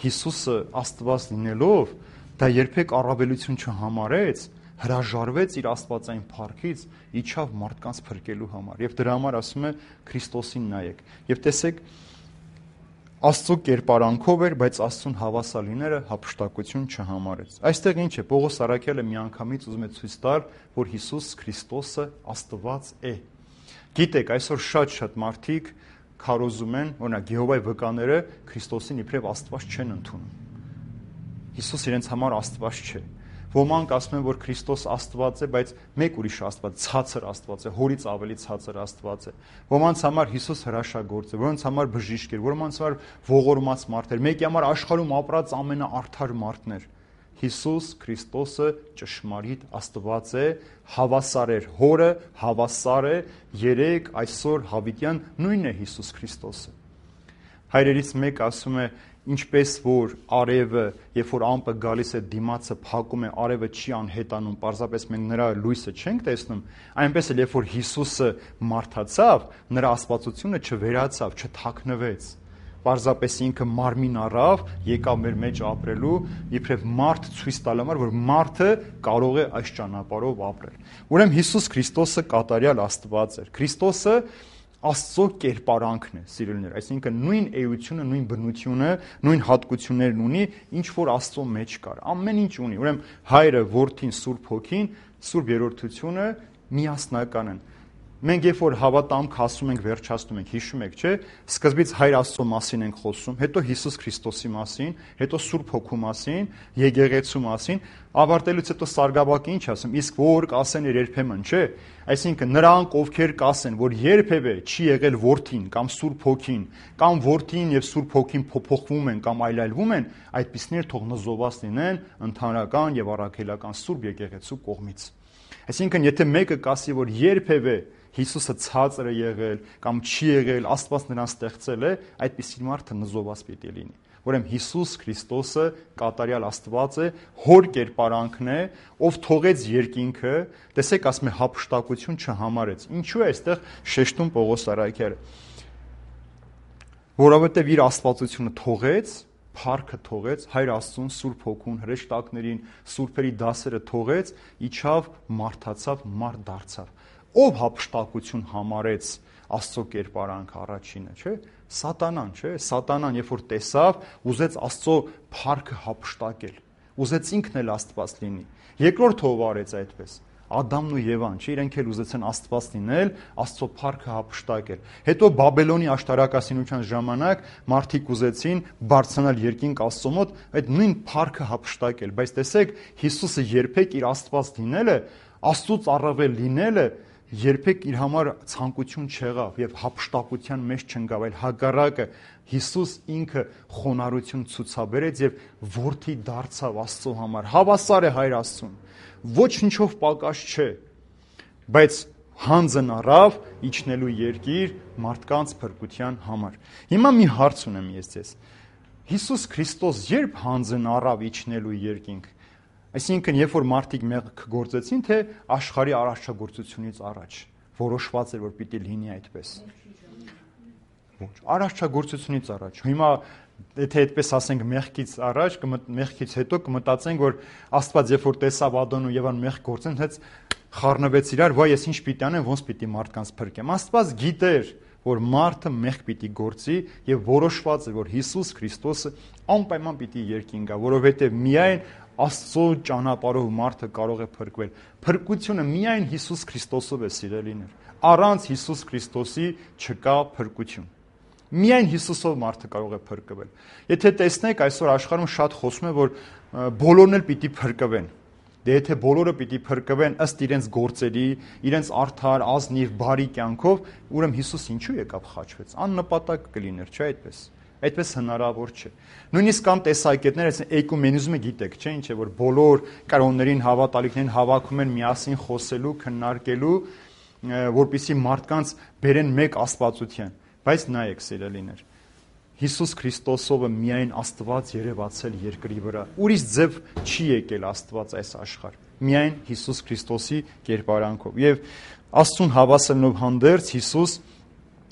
S1: Հիսուսը Աստված լինելով, դա երբեք առավելություն չհամարեց, հրաժարվեց իր աստվածային փառքից, իջավ մարդկանց փրկելու համար։ Եվ դրա համար ասում է Քրիստոսին նայեք։ Եվ տեսեք, Աստծո կերպարանքով էր, բայց Աստծուն հավասար լինելը հափշտակություն չհամարեց։ Այստեղ ինչ է, Պողոս առաքյալը միանգամից ուզում է ցույց տալ, որ Հիսուս Քրիստոսը Աստված է։ Գիտեք, այսօր շատ-շատ մարդիկ քարոզում են, օրինակ Եհովայի վկաները Քրիստոսին իբրև Աստված չեն ընդունում։ Հիսուս իրենց համար Աստված չէ։ Ոմանք ասում են, որ Քրիստոս Աստված է, բայց մեկ ուրիշ Աստված, ցածր Աստված է, հորից ավելի ցածր Աստված է։ Ոմանց համար Հիսուս հրաշագործ է, ոմանց համար բժիշկ էր, ոմանց համար ողորմած մարդ էր, մեկի համար աշխարհում ապրած ամենաարդար մարդն էր։ Հիսուս Քրիստոսը ճշմարիտ Աստված է, հավասար էր Հորը, հավասար է երեք, այսօր, հավիտյան, նույնն է Հիսուս Քրիստոսը։ Հայրերից մեկը ասում է, ինչպես որ արևը, երբ որ ամպը գալիս է դիմացը փակում է, արևը չի անհետանում, պարզապես մենք նրա լույսը չենք տեսնում, այնպես էլ երբ որ Հիսուսը մարդացավ, նրա աստվածությունը չվերացավ, չթաքնվեց։ Պարզապես ինքը մարմին առավ, եկավ մեր մեջ ապրելու, իբրև մարդ ցույց տալու համար, որ մարդը կարող է այս ճանապարհով ապրել։ Ուրեմն Հիսուս Քրիստոսը կատարյալ Աստված էր։ Քրիստոսը Աստծո կերպարանքն է, սիրելիներ, այսինքն նույն էությունը, նույն բնությունը, նույն հատկություններն ունի, ինչ որ Աստծո մեջ կար, ամեն ինչ ունի։ Ուրեմն Հայրը, Որդին, Սուրբ Հոգին, Սուրբ Երրորդությունը միասնական են։ Մենք երբ որ հավատամք ասում ենք, վերջացնում ենք, հիշում եք, չէ՞, սկզբից Հայր Աստծո մասին ենք խոսում, հետո Հիսուս Քրիստոսի մասին, հետո Սուրբ Հոգու մասին, եկեղեցու մասին, ավարտելուց հետո Սարգսակի ինչ ասում, իսկ որ կասեն երբեմն, չէ՞։ Այսինքն նրանք, ովքեր կասեն, որ երբևէ չի եղել Որդին կամ Սուրբ Հոգին, կամ Որդին եւ Սուրբ Հոգին փոփոխվում են կամ այլայլվում են, այդպիսներ թող նզովված լինեն ընդհանրական եւ առաքելական Սուրբ եկեղեցու կողմից։ Այսինքն, եթե մեկը կասի, որ երբևէ Հիսուսը ցածր է եղել կամ չի եղել, Աստված նրան ստեղծել է, այդպիսի մարդը նզովված պիտի լինի։ Ուրեմն Հիսուս Քրիստոսը կատարյալ Աստված է, հոր կերպարանքն է, ով թողեց երկինքը, տեսեք, ասում է հափշտակություն չհամարեց։ Ինչու է այստեղ շեշտում Պողոս առաքյալը։ Որովհետև իր աստվածությունը թողեց, փառքը թողեց, Հայր Աստծուն, Սուրբ Հոգուն, հրեշտակներին, սուրբերի դասերը թողեց, իջավ, մարդացավ, մարդ դարձավ։ Ով հափշտակություն համարեց Աստծո կերպարանք առաջինը, չէ՞։ Սատանան, չէ՞։ Սատանան, երբ որ տեսավ, ուզեց Աստծո փառքը հափշտակել։ Ուզեց ինքն էլ Աստված լինի։ Երկրորդ ով արեց այդպես։ Ադամն ու Եվան, չէ՞, իրենք էլ ուզեցան Աստված լինել, Աստծո փառքը հափշտակել։ Հետո Բաբելոնի աշտարակասինության ժամանակ մարդիկ ուզեցին բարձրանալ երկինք Աստծո մոտ, այդ նույն փառքը հափշտակել, բայց տեսեք, Հիսուսը երբեք իր Աստված լինելը, Աստծուց առավել լինելը երբեք իր համար ցանկություն չեղավ եւ հափշտակության մեջ չընկավ, այլ հակառակը Հիսուս ինքը խոնարհություն ցուցաբերեց եւ որդի դարձավ Աստծո համար։ Հավասար է Հայր Աստծուն, ոչինչով պակաս չէ, բայց հանձն առավ իջնելու երկիր մարդկանց փրկության համար։ Հիմա մի հարց ունեմ ես ձեզ։ Հիսուս Քրիստոս երբ հանձն առավ իջնելու երկինք, այսինքն երբ որ մարդիկ մեղք գործեցին, թե աշխարհի արարչագործությունից առաջ որոշված էր, որ պիտի լինի այդպես։ Ոչ, արարչագործությունից առաջ։ Հիմա եթե այդպես ասենք մեղքից առաջ, մեղքից հետո կմտածենք, որ Աստված երբ որ տեսավ Ադամն ու Եվան մեղք գործեն, հենց խառնվեց իրար, վայ ես ինչ պիտի անեմ, ոնց պիտի մարդկանց փրկեմ։ Աստված գիտեր, որ մարդը մեղք պիտի գործի եւ որոշված է, որ Հիսուս Քրիստոսը անպայման պիտի երկին գա, որովհետեւ միայն Աստծո ճանապարհով մարդը կարող է փրկվել։ Փրկությունը միայն Հիսուս Քրիստոսով է, սիրելիներ։ Առանց Հիսուս Քրիստոսի չկա փրկություն։ Միայն Հիսուսով մարդը կարող է փրկվել։ Եթե տեսնեք, այսօր աշխարհում շատ խոսում է, որ բոլորն էլ պիտի փրկվեն։ Դե եթե բոլորը պիտի փրկվեն ըստ իրենց գործերի, իրենց արդար, ազնիվ, բարի կյանքով, ուրեմն Հիսուս ինչու եկավ խաչվեց։ Աննպատակ կլիներ, չէ՞ այդպես։ Այդպես հնարավոր չէ։ Նույնիսկ կան տեսակետներ, այսինքն էկումենիզմը գիտեք, չէ՞, ինչ է, որ բոլոր կրոններին, հավատալիքներին հավաքում են միասին խոսելու, քննարկելու, որպեսզի մարդկանց բերեն մեկ աստվածության։ Բայց նայեք, սիրելիներ, Հիսուս Քրիստոսովը միայն Աստված երևացել երկրի վրա։ Ուրիշ ձև չի եկել Աստված այս աշխարհ։ Միայն Հիսուս Քրիստոսի կերպարանքով։ Եվ Աստծուն հավասարելով հանդերձ Հիսուս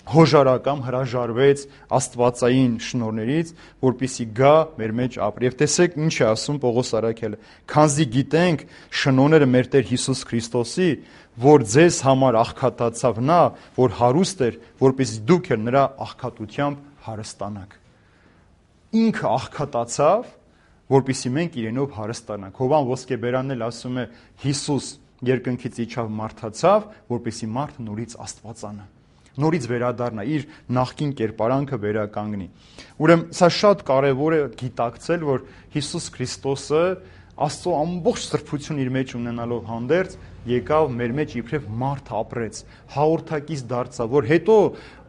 S1: հոժարակամ հրաժարվեց աստվածային շնորհներից, որպեսզի գա մեր մեջ ապրի։ Եվ տեսեք ինչ է ասում Պողոս առաքյալը. «Քանզի գիտենք շնորհները մեր Տեր Հիսուս Քրիստոսի, որ ձեզ համար աղքատացավ նա, որ հարուստ էր, որպեսզի դուք էլ նրա աղքատությամբ հարստանաք»։ Ինքը աղքատացավ, որպեսզի մենք իրենով հարստանանք։ Հովան Ոսկեբերանն էլ ասում է. Հիսուս երկնքից իջավ մարդացավ, որպեսզի մարդը նորից աստվածանա, նորից վերադառնա, իր նախկին կերպարանքը վերականգնի։ Ուրեմն սա շատ կարևոր է գիտակցել, որ Հիսուս Քրիստոսը Աստծո ամբողջ սրբություն իր մեջ ունենալով հանդերձ եկավ մեր մեջ իբրև մարդ ապրեց, հաղորդակից դարձավ, որ հետո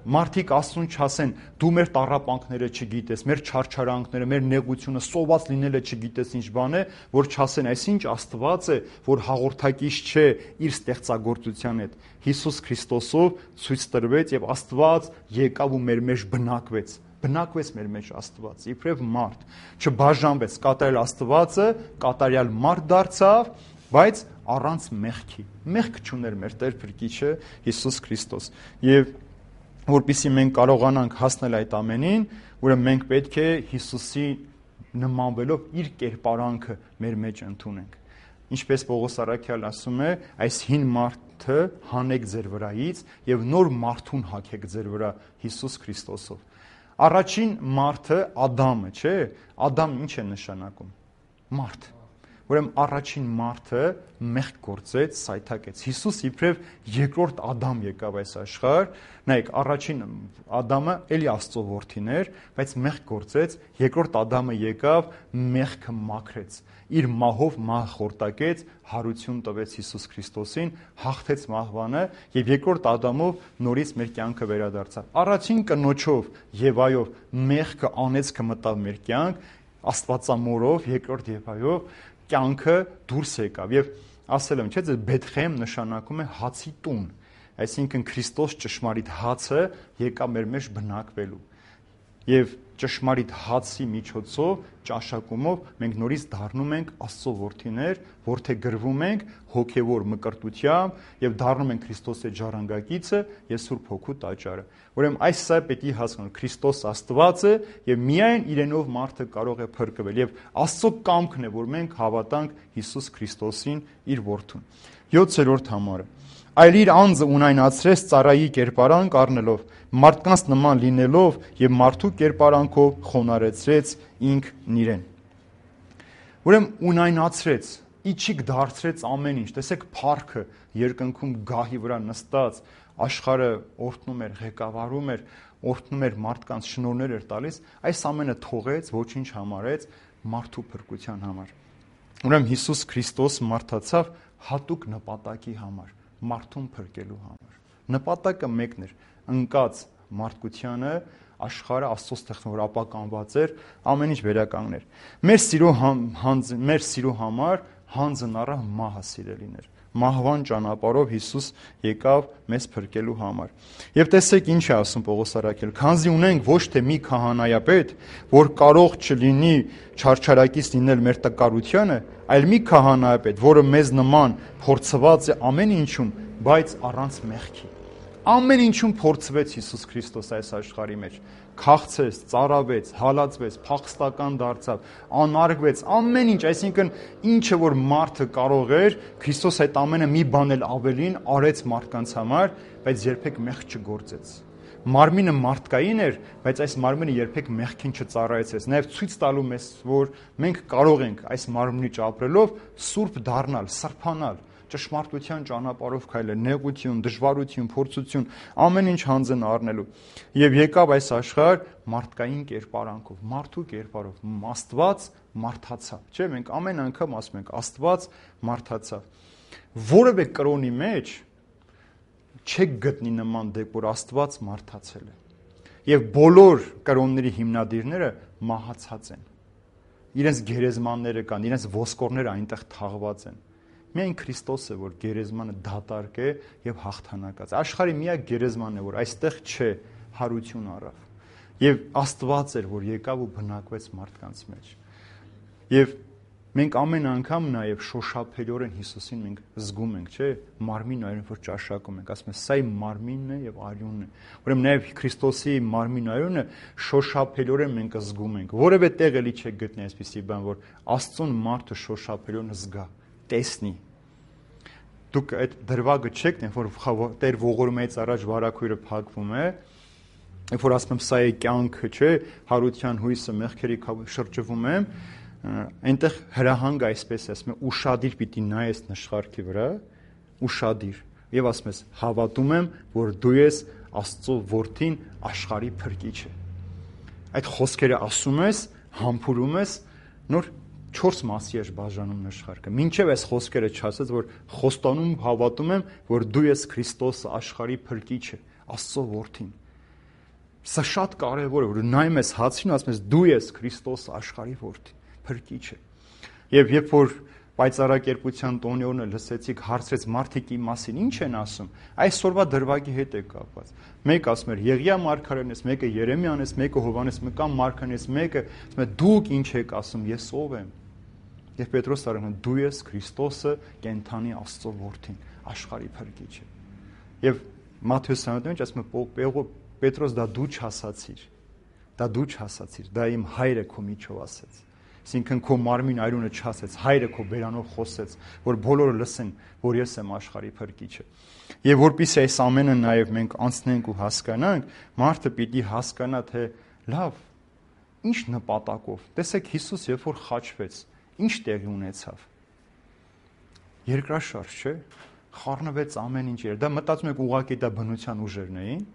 S1: մարդիկ Աստծուն չասեն դու մեր տառապանքները չգիտես, մեր չարչարանքները, մեր նեղությունը, սոված լինելը չգիտես ինչ բան է, որ չասեն այսինչ Աստված է, որ հաղորդակից չէ իր ստեղծագործության հետ։ Հիսուս Քրիստոսով ցույց տրվեց եւ Աստված եկավ ու մեր մեջ բնակվեց։ Բնակվեց մեր մեջ Աստված, իբրև մարդ, չբաժանվեց, կատարյալ Աստվածը կատարյալ մարդ դարձավ, բայց առանց մեղքի։ Մեղք չուներ մեր Տեր Փրկիչը Հիսուս Քրիստոս։ Եվ որպեսզի մենք կարողանանք հասնել այդ ամենին, ուրեմն մենք պետք է Հիսուսի նմանվելով իր կերպարանքը մեր մեջ ընդունենք։ Ինչպես Պողոս առաքյալն ասում է, այս հին մարդը հանեք ձեր վրայից եւ նոր մարդուն հագեք ձեր վրա Հիսուս Քրիստոսով։ Առաջին մարդը Ադամը, չէ՞։ Ադամ ինչ է նշանակում։ Մարդ։ Ուրեմն առաջին մարդը մեղք գործեց, սայթակեց։ Հիսուս իբրև երկրորդ Ադամ եկավ այս աշխարհ։ Նայեք, առաջին Ադամը էլի Աստծո որդին էր, բայց մեղք գործեց, երկրորդ Ադամը եկավ, մեղքը մաքրեց։ Իր մահով մահ խորտակեց, հարություն տվեց Հիսուս Քրիստոսին, հաղթեց մահվանը եւ երկրորդ Ադամով նորից մեր կյանքը վերադարձավ։ Առաջին կնոջով Եվայով մեղքը անեծքը մտավ մեր կյանք, Աստվածամորով երկրորդ Եվայով կյանքը դուրս եկավ եւ ասել եմ, չէ՞, Բեթխեհեմ նշանակում է հացի տուն։ Այսինքն Քրիստոս ճշմարիտ հացը եկավ մեր մեջ բնակվելու։ Եվ ճշմարիտ հացի միջոցով, ճաշակումով մենք նորից դառնում ենք Աստծո որդիներ, որդեգրվում ենք հոգևոր մկրտությամբ եւ դառնում ենք Քրիստոսի ժառանգակիցը եւ Սուրբ Հոգու տաճարը։ Ուրեմն այս սա պետք է հասկանալ, Քրիստոս Աստված է եւ միայն իրենով մարդը կարող է փրկվել եւ Աստծո կամքն է, որ մենք հավատանք Հիսուս Քրիստոսին, իր որդուն։ յոթերորդ համարը։ Այլ իր անձը ունայնացրեց ծառայի կերպարանք առնելով, մարդկանց նման լինելով եւ մարդու կերպարանքով խոնարհեցրեց ինքն իրեն։ Ուրեմն ունայնացրեց, իջիկ դարձրեց ամեն ինչ։ Տեսեք փառքը երկնքում գահի վրա նստած, աշխարհը օրհնում էր, ղեկավարում էր, օրհնում էր մարդկանց, շնորհներ էր տալիս, այս ամենը թողեց, ոչինչ համարեց մարդու փրկության համար։ Ուրեմն Հիսուս Քրիստոս մարդացավ հատուկ նպատակի համար, մարդուն փրկելու համար։ Նպատակը մեկն էր՝ ընկած մարդկությանը, աշխարհը Աստծո ստեղծում, որ ապականված էր, ամեն ինչ վերականգներ։ Մեր սիրո հանձ, մեր սիրո համար հանձն առավ մահը, սիրելիներ։ Մահվան ճանապարհով Հիսուս եկավ մեզ փրկելու համար։ Եվ տեսեք ինչ է ասում Պողոս առաքյալ. «Քանզի ունենք ոչ թե մի քահանայապետ, որ կարող չլինի չարչարակից լինել մեր տկարությանը, այլ մի քահանայապետ, որը մեզ նման փորձված է ամեն ինչում, բայց առանց մեղքի»։ Ամեն ինչում փորձվեց Հիսուս Քրիստոս այս աշխարհի մեջ։ Քաղցեց, ծարավեց, հալածվեց, փախստական դարձավ, անարգվեց, ամեն ինչ, այսինքն ինչը որ մարդը կարող էր, Քրիստոս այդ ամենը մի բան էլ ավելին արեց մարդկանց համար, բայց երբեք մեղք չգործեց։ Մարմինը մարդկային էր, բայց այս մարմինը երբեք մեղքին չծառայեցրեց։ Նաև ցույց տալու մեզ, որ մենք կարող ենք այս մարմնի ապրելով սուրբ դառնալ, սրբանալ, ճշմարտության ճանապարհով քայլել, նեղություն, դժվարություն, փորձություն, ամեն ինչ հանձն առնելու։ Եվ եկավ այս աշխարհ մարդկային կերպարանքով, մարդու կերպարով, Աստված մարդացավ։ Չէ՞, մենք ամեն անգամ ասում ենք Աստված մարդացավ։ Որևէ կրոնի մեջ չեք գտնի նման դեպք, որ Աստված մարդացել է։ Եվ բոլոր կրոնների հիմնադիրները մահացած են։ Իրենց գերեզմանները կան, իրենց ոսկորները այնտեղ թաղված են։ Միայն Քրիստոս է, որ գերեզմանը դատարկ է եւ հաղթանակած։ Աշխարհի միակ գերեզմանն է, որ այստեղ չէ, հարություն առավ։ Եվ Աստված էր, որ եկավ ու բնակվեց մարդկանց մեջ։ Եվ մենք ամեն անգամ նաեւ շոշափելիորեն Հիսուսին մենք զգում ենք, չէ՞, մարմին այրուն, որ ճաշակում ենք, ասում ենք, սա իմ մարմինն է եւ արյունն է։ Ուրեմն նաեւ Քրիստոսի մարմին արյունը շոշափելիորեն մենք զգում ենք։ Որևէ տեղ էլի չեք գտնի այսպիսի բան, որ Աստծուն մարդը շոշափելիորեն զգա, տեսնի։ Դուք այդ դրվագը չեք դեն, որ Տեր ողորմից առաջ վարակույրը փակվում է, երբ որ ասում եմ սա է կյանքը, չէ, հարության հույսը, մեղքերի շրջվում եմ, այնտեղ հրահանգը այսպես է, ասում է ուշադիր պիտի նայես նշխարքի վրա, ուշադիր, եւ ասում ես հավատում եմ, որ դու ես Աստծո որդին, աշխարհի փրկիչը։ Այդ խոսքերը ասում ես, համբուրում ես, նոր չորս մասի ես բաժանում նշխարքը։ Մինչև այս խոսքերը չասած, որ խոստանում հավատում եմ, որ դու ես Քրիստոսը, աշխարհի փրկիչը, Աստծո որդին։ Սա շատ կարևոր է, որ նայում ես հացին, ասում ես դու ես Քրիստոսը, աշխարհի որդին, փրկիչը։ Եվ երբ որ պայծառակերպության տոնի օրը լսեցիք, հարցրեց մարդիկ իմ մասին ինչ են ասում, այսօրվա դրվագի հետ է կապված։ Մեկը ասում էր Եղիա մարգարեն ես, մեկը Երեմիան ես, մեկը Հովհաննես մկան մարգարեն ես, մեկը ասում է դուք ինչ եք ասում, ես ով եմ։ Եվ Պետրոս ասում է դու ես Քրիստոսը, կենթանի Աստծո որդին, աշխարհի փրկիչը։ Եվ Մատթեոս համոզմունք ասում է Պետրոս դա դու չասացիր, դա դու չասացիր, դա իմ հայրը քո միջով ասեց։ Այսինքն քո մարմին այրունը չասեց, հայրը քո բերանով խոսեց, որ բոլորը լսեն, որ ես եմ աշխարհի փրկիչը։ Եվ որpիսի այս ամենը նաև մենք անցնենք ու հասկանանք, մարդը պիտի հասկանա, թե լավ, ինչ նպատակով։ Տեսեք Հիսուս երբ որ խաչվեց, ինչ տեղի ունեցավ։ Երկրաշարժ, չէ՞։ Խառնվեց ամեն ինչ էր։ Դա մտածում եք ուղղակի դա բնության ուժերն էին,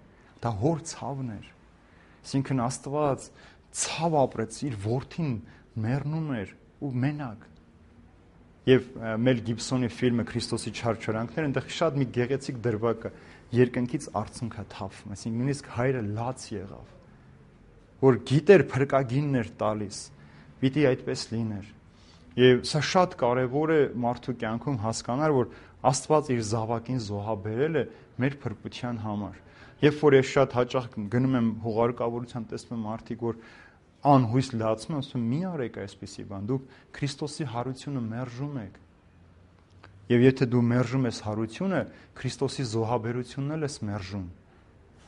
S1: դա հոր ցավն էր։ Այսինքն Աստված ցավ ապրեց, իր որդին մեռնում էր ու մենակ։ Եվ Մել Գիբսոնի ֆիլմը Քրիստոսի չարչարանքները, այնտեղ շատ մի գեղեցիկ դրվագ կա, երկնքից արցունքը թափվում, այսինքն նույնիսկ հայրը լաց եղավ, որ գիտեր փրկագինն էր տալիս, պիտի այդպես լիներ։ Եվ սա շատ կարևոր է մարդու կյանքում հասկանալ, որ Աստված իր զավակին զոհաբերել է մեր փրկության համար։ Երբ որ ես շատ հաճախ գնում եմ հուղարկավորության, տեսնում եմ մարդիկ, որ անհույս լացում են, ասում եմ՝ մի արեք այսպիսի բան, դուք Քրիստոսի հարությունը մերժում եք։ Եվ եթե դու մերժում ես հարությունը, Քրիստոսի զոհաբերությունն էլ ես մերժում։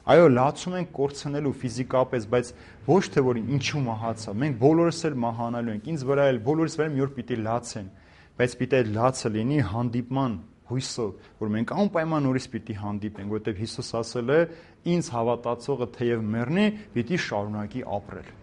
S1: Այո, լացում ենք կորցնելու ֆիզիկապես, բայց ոչ թե որ ինչու մահացա։ Մենք բոլորս էլ մահանալու ենք, ինձ վրա էլ բոլորս վրա մի օր պիտի լացեն, բայց պիտի այդ լացը լինի հանդիպման հույսով, որ մենք անպայման նորից պիտի հանդիպենք, որովհետև Հիսուս ասել է՝ ինձ հավատացողը թեև մեռնի, պիտի շարունակի ապրել։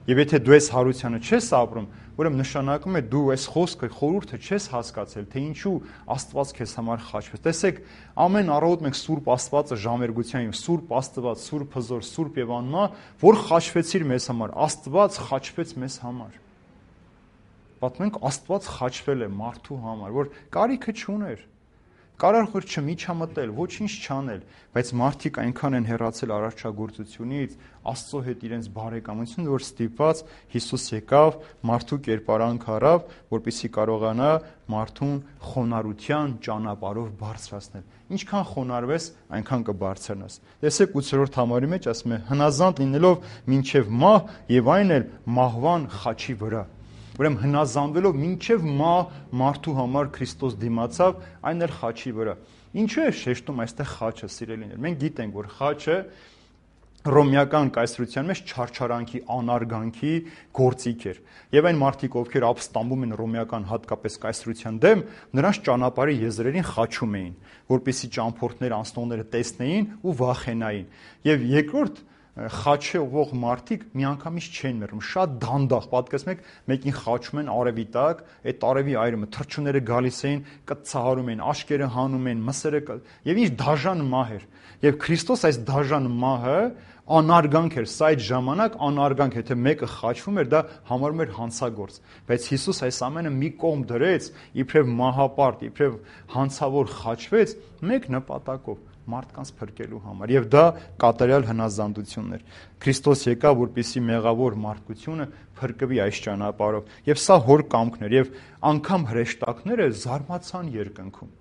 S1: Եվ եթե դու այս հարությանը չես ապրում, ուրեմն նշանակում է դու այս խոսքը, խորհուրդը չես հասկացել, թե ինչու Աստված քեզ համար խաչվեց։ Տեսեք, ամեն առավոտ մենք Սուրբ Աստվածը ժամերգության, Սուրբ Աստված, Սուրբ Հզոր, Սուրբ եւ անմահ, որ խաչվեցիր մեզ համար, Աստված խաչվեց մեզ համար։ Պատմենք, Աստված խաչվել է մարդու համար, որ կարիքը չուներ։ Կարար որ չմիջամտել, ոչինչ չանել, բայց մարդիկ այնքան են հեռացել արարչագործությունից, Աստծո հետ իրենց բարեկամություն, որ ստիպված Հիսուս եկավ, մարդու կերպարանք առավ, որպեսզի կարողանա մարդուն խոնարհության ճանապարհով բարձրացնել։ Ինչքան խոնարհվես, այնքան կբարձրանաս։ Տեսեք ութերորդ համարի մեջ ասում է՝ հնազանդ լինելով մինչև մահ եւ այն էլ մահվան խաչի վրա։ Ուրեմն հնազանդվելով մինչև մահ մարդու համար Քրիստոս դիմացավ, այն էլ խաչի վրա։ Ինչու է շեշտում այստեղ խաչը, սիրելիներ։ Մենք գիտենք, որ խաչը ռոմեական կայսրության մեջ չարչարանքի, անարգանքի գործիք էր։ Եվ այն մարդիկ, ովքեր ապստամբում են ռոմեական հատկապես կայսրության դեմ, նրանց ճանապարհի եզրերին խաչում էին, որպեսզի ճամփորդներ, անցնողները տեսնեին ու վախենային։ Եվ երկրորդ խաչվող մարդիկ միանգամից չեն մեռնում, շատ դանդաղ, պատկերացնեք, մեկին խաչում են արևի տակ, այդ արևի այրումը, թռչունները գալիս էին, կծահարում էին, աշկերը հանում են, մսերը, եւ ինչ դաժան մահ էր։ Եվ Քրիստոս այս դաժան մահը անարգանք էր, սա այդ ժամանակ անարգանք, եթե մեկը խաչվում էր, դա համարում էր հանցագործ։ Բայց Հիսուս այս ամենը մի կողմ դրեց, իբրև մահապարտ, իբրև հանցավոր խաչվեց մեկ նպատակով՝ մարդկանց փրկելու համար, եւ դա կատարյալ հնազանդությունն էր։ Քրիստոս եկավ, որպեսզի մեղավոր մարդկությունը փրկվի այս ճանապարհով, եւ սա հոր կամքն էր, եւ անգամ հրեշտակները զարմացան երկնքում։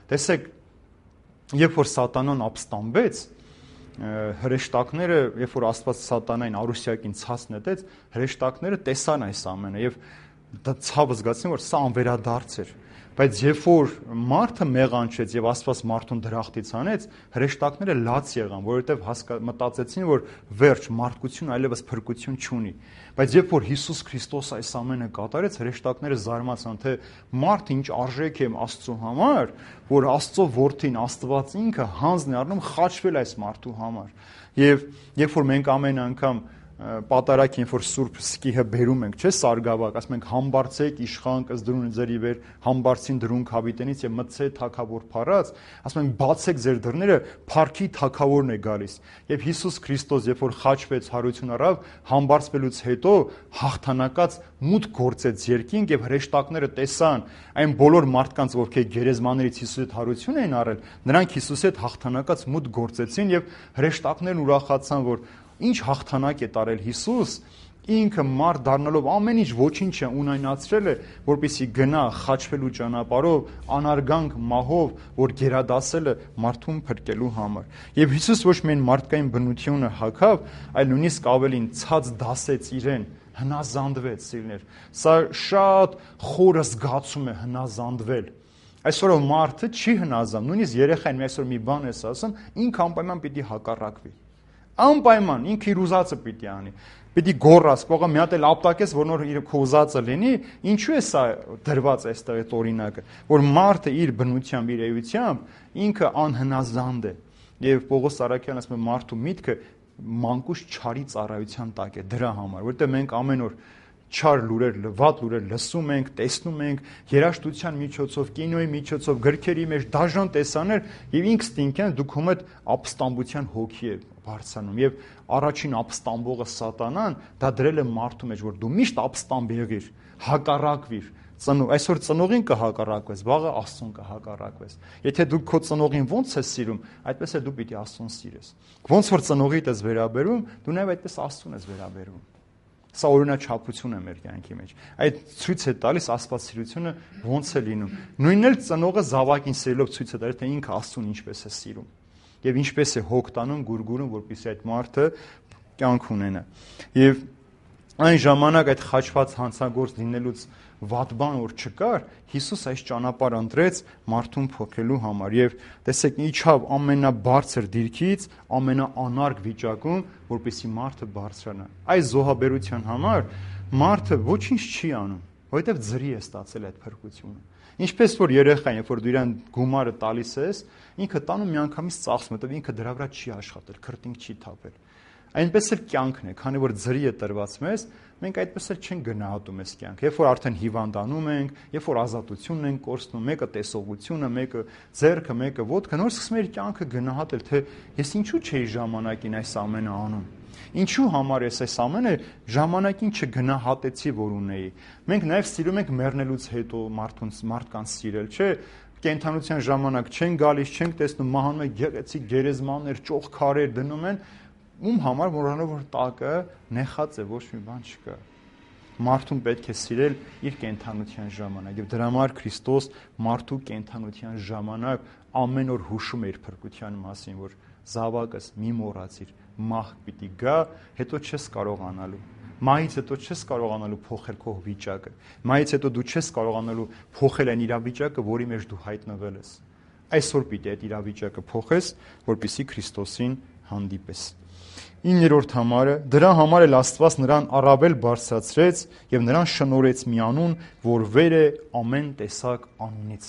S1: Տեսեք, երբ որ Սատանան ապստամբեց, հրեշտակները, երբ որ Աստված Սատանային Արուսիակին ցած նետեց, հրեշտակները տեսան այս ամենը եւ ցավը զգացին, որ սա անվերադարձ էր։ Բայց երբ որ մարդը մեղանչեց եւ Աստված մարդուն դրախտից հանեց, հրեշտակները լաց եղան, որովհետեւ մտածեցին, որ վերջ մարդկություն այլևս փրկություն չունի։ Բայց երբ որ Հիսուս Քրիստոս այս ամենը կատարեց, հրեշտակները զարմացան, թե մարդը ինչ արժեք է Աստծո համար, որ Աստծո որդին, Աստված ինքը հանձն է առնում խաչվել այս մարդու համար։ Եվ երբ որ մենք ամեն անգամ պատարակ ինչ որ սուրբ սկիհը բերում ենք, չէ՞, սարգավակ, ասում ենք համբարձեք իշխան կզդրուն ձերի վեր, համբարձին դրուն քավիտենից եւ մտցե թակավոր փառած, ասում ենք բացեք ձեր դռները, փառքի թակավորն է գալիս։ Եվ Հիսուս Քրիստոս, երբ որ խաչվեց, հարություն առավ, համբարձվելուց հետո հաղթանակած մուտք գործեց երկինք եւ հրեշտակները տեսան այն բոլոր մարդկանց, ովքեր գերեզմաներից Հիսուսի հետ հարություն էին առել, նրանք Հիսուսի հետ հաղթանակած մուտք գործեցին եւ հրեշտակներն ուրախացան, որ ինչ հաղթանակ է տարել Հիսուս, ինքը մարդ դառնալով ամեն ինչ ոչինչ է ունայնացրել է, որպեսզի գնա խաչվելու ճանապարհով, անարգանք մահով, որ գերադասել է մարդուն փրկելու համար։ Եվ Հիսուս ոչ միայն մարդկային բնությունը հագավ, այլ նույնիսկ ավելին ցած դասեց իրեն, հնազանդվեց, սիրներ։ Սա շատ խորը զգացում է հնազանդվել։ Այսօր մարդը չի հնազանդ, նույնիսկ երեխային մի այսօր մի բան ես ասում, ինքը անպայման պիտի հակառակվի։ Անպայման ինքը իր ուզածը պիտի անի, պիտի գոռաս, կողը մի հատ էլ ապտակես, որ նոր իր քո ուզածը լինի, ինչու է սա դրված այստեղ այդ օրինակը, որ մարդը իր բնությամբ, իր էությամբ ինքը անհնազանդ է։ Եվ Պողոս Արաքյանը ասում է մարդու միտքը մանկուց չարի ծառայության տակ է դրա համար, որովհետև մենք ամեն օր չար լուրեր, վատ լուրեր լսում ենք, տեսնում ենք, երաժշտության միջոցով, կինոյի միջոցով, գրքերի մեջ դաժան տեսաներ եւ ինքստինքյան դուք ում այդ ապստամբության հոգի է բարձրանում եւ առաջին ապստամբողը Սատանան դա դրել է մարդու մեջ, որ դու միշտ ապստամբ եղիր, հակառակվիր, ծնող, այսօր ծնողին կհակառակվես, վաղը Աստծուն կհակառակվես։ Եթե դու քո ծնողին ո՞նց ես սիրում, այդպես էլ դու պիտի Աստծուն սիրես։ Ոնց որ ծնողիդ ես վերաբերում, դու նաեւ այդպես Աստծուն ես վերաբերվում։ Սա օրինաչափություն է մեր կյանքի մեջ։ Այդ ցույց է տալիս աստվածասիրությունը ոնց է լինում։ Նույնն էլ ծնողը զավակին սիրելով ցույց է տալիս, թե ինքը Աստծուն ինչպես է սիրում եւ ինչպես է հոգ տանում, գուրգուրում, որպեսզի այդ մարդը կյանք ունենա։ Եվ այն ժամանակ այդ խաչված հանցագործ լինելուց վատ բան որ չկար, Հիսուս այս ճանապարհ ընտրեց մարդուն փոխելու համար եւ տեսեք իջավ ամենաբարձր դիրքից ամենաանարգ վիճակում, որպեսզի մարդը բարձրանա։ Այս զոհաբերության համար մարդը ոչինչ չի անում, որովհետեւ ձրի է ստացել այդ փրկությունը։ Ինչպես որ երեխան, երբ որ դու իրան գումարը տալիս ես, ինքը տանում միանգամից ծախսում, որովհետեւ ինքը դրա վրա չի աշխատել, քրտինք չի թափել։ Այնպես էլ կյանքն է, քանի որ ձրի է տրված մեզ, մենք այդպես էլ չենք գնահատում այս կյանքը։ Երբ որ արդեն հիվանդանում ենք, երբ որ ազատությունն ենք կորցնում, մեկը տեսողությունը, մեկը ձեռքը, մեկը ոտքը, նոր սկսում ենք կյանքը գնահատել, թե ես ինչու չէի ժամանակին այս ամենը անում։ Ինչու համար ես այս ամենը ժամանակին չգնահատեցի, որ ունեի։ Մենք նաև սիրում ենք մեռնելուց հետո մարդուն մարդկանց սիրել, չէ՞։ Կենդանության ժամանակ չեն գալիս, չենք տեսնում, մահանում են գեղեցիկ գերեզմաններ, ճոխ քարեր դնում են, ում համար մոռանալով որ տակը նեխած է, ոչ մի բան չկա։ Մարդուն պետք է սիրել իր կենդանության ժամանակ եւ դրա համար Քրիստոս մարդու կենդանության ժամանակ ամեն օր հուշում է իր փրկության մասին, որ զավակս մի մոռացիր, մահ պիտի գա, հետո չես կարողանալու։ Մահից հետո չես կարողանալու փոխել քո վիճակը։ Մահից հետո դու չես կարողանալու փոխել այն իրավիճակը, որի մեջ դու հայտնվել ես։ Այսօր պիտի այդ իրավիճակը փոխես, որպեսզի Քրիստոսին հանդիպես։ Իններորդ համարը, դրա համար էլ Աստված նրան առավել բարձրացրեց եւ նրան շնորհեց մի անուն, որ վեր է ամեն տեսակ անունից։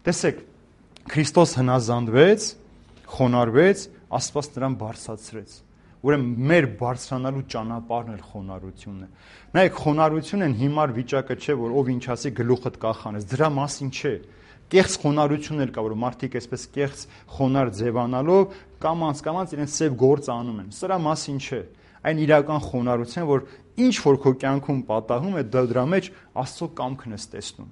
S1: Տեսեք, Քրիստոս հնազանդվեց, խոնարհվեց, Աստված նրան բարձրացրեց։ Ուրեմն մեր բարձրանալու ճանապարհն էլ խոնարհությունն է։ Նայեք, խոնարհությունն հիմար վիճակը չէ, որ ով ինչ ասի գլուխդ կախանես, դրա մասին չէ։ Կեղծ խոնարհությունն էլ կա, որ մարդիկ այսպես կեղծ խոնար ձևանալով կամանց-կամանց իրենց սև գործ անում են։ Սրա մասին չէ։ Այն իրական խոնարհություն, որ ինչ որ քո կյանքում պատահում է, դրա մեջ Աստծո կամքն ես տեսնում։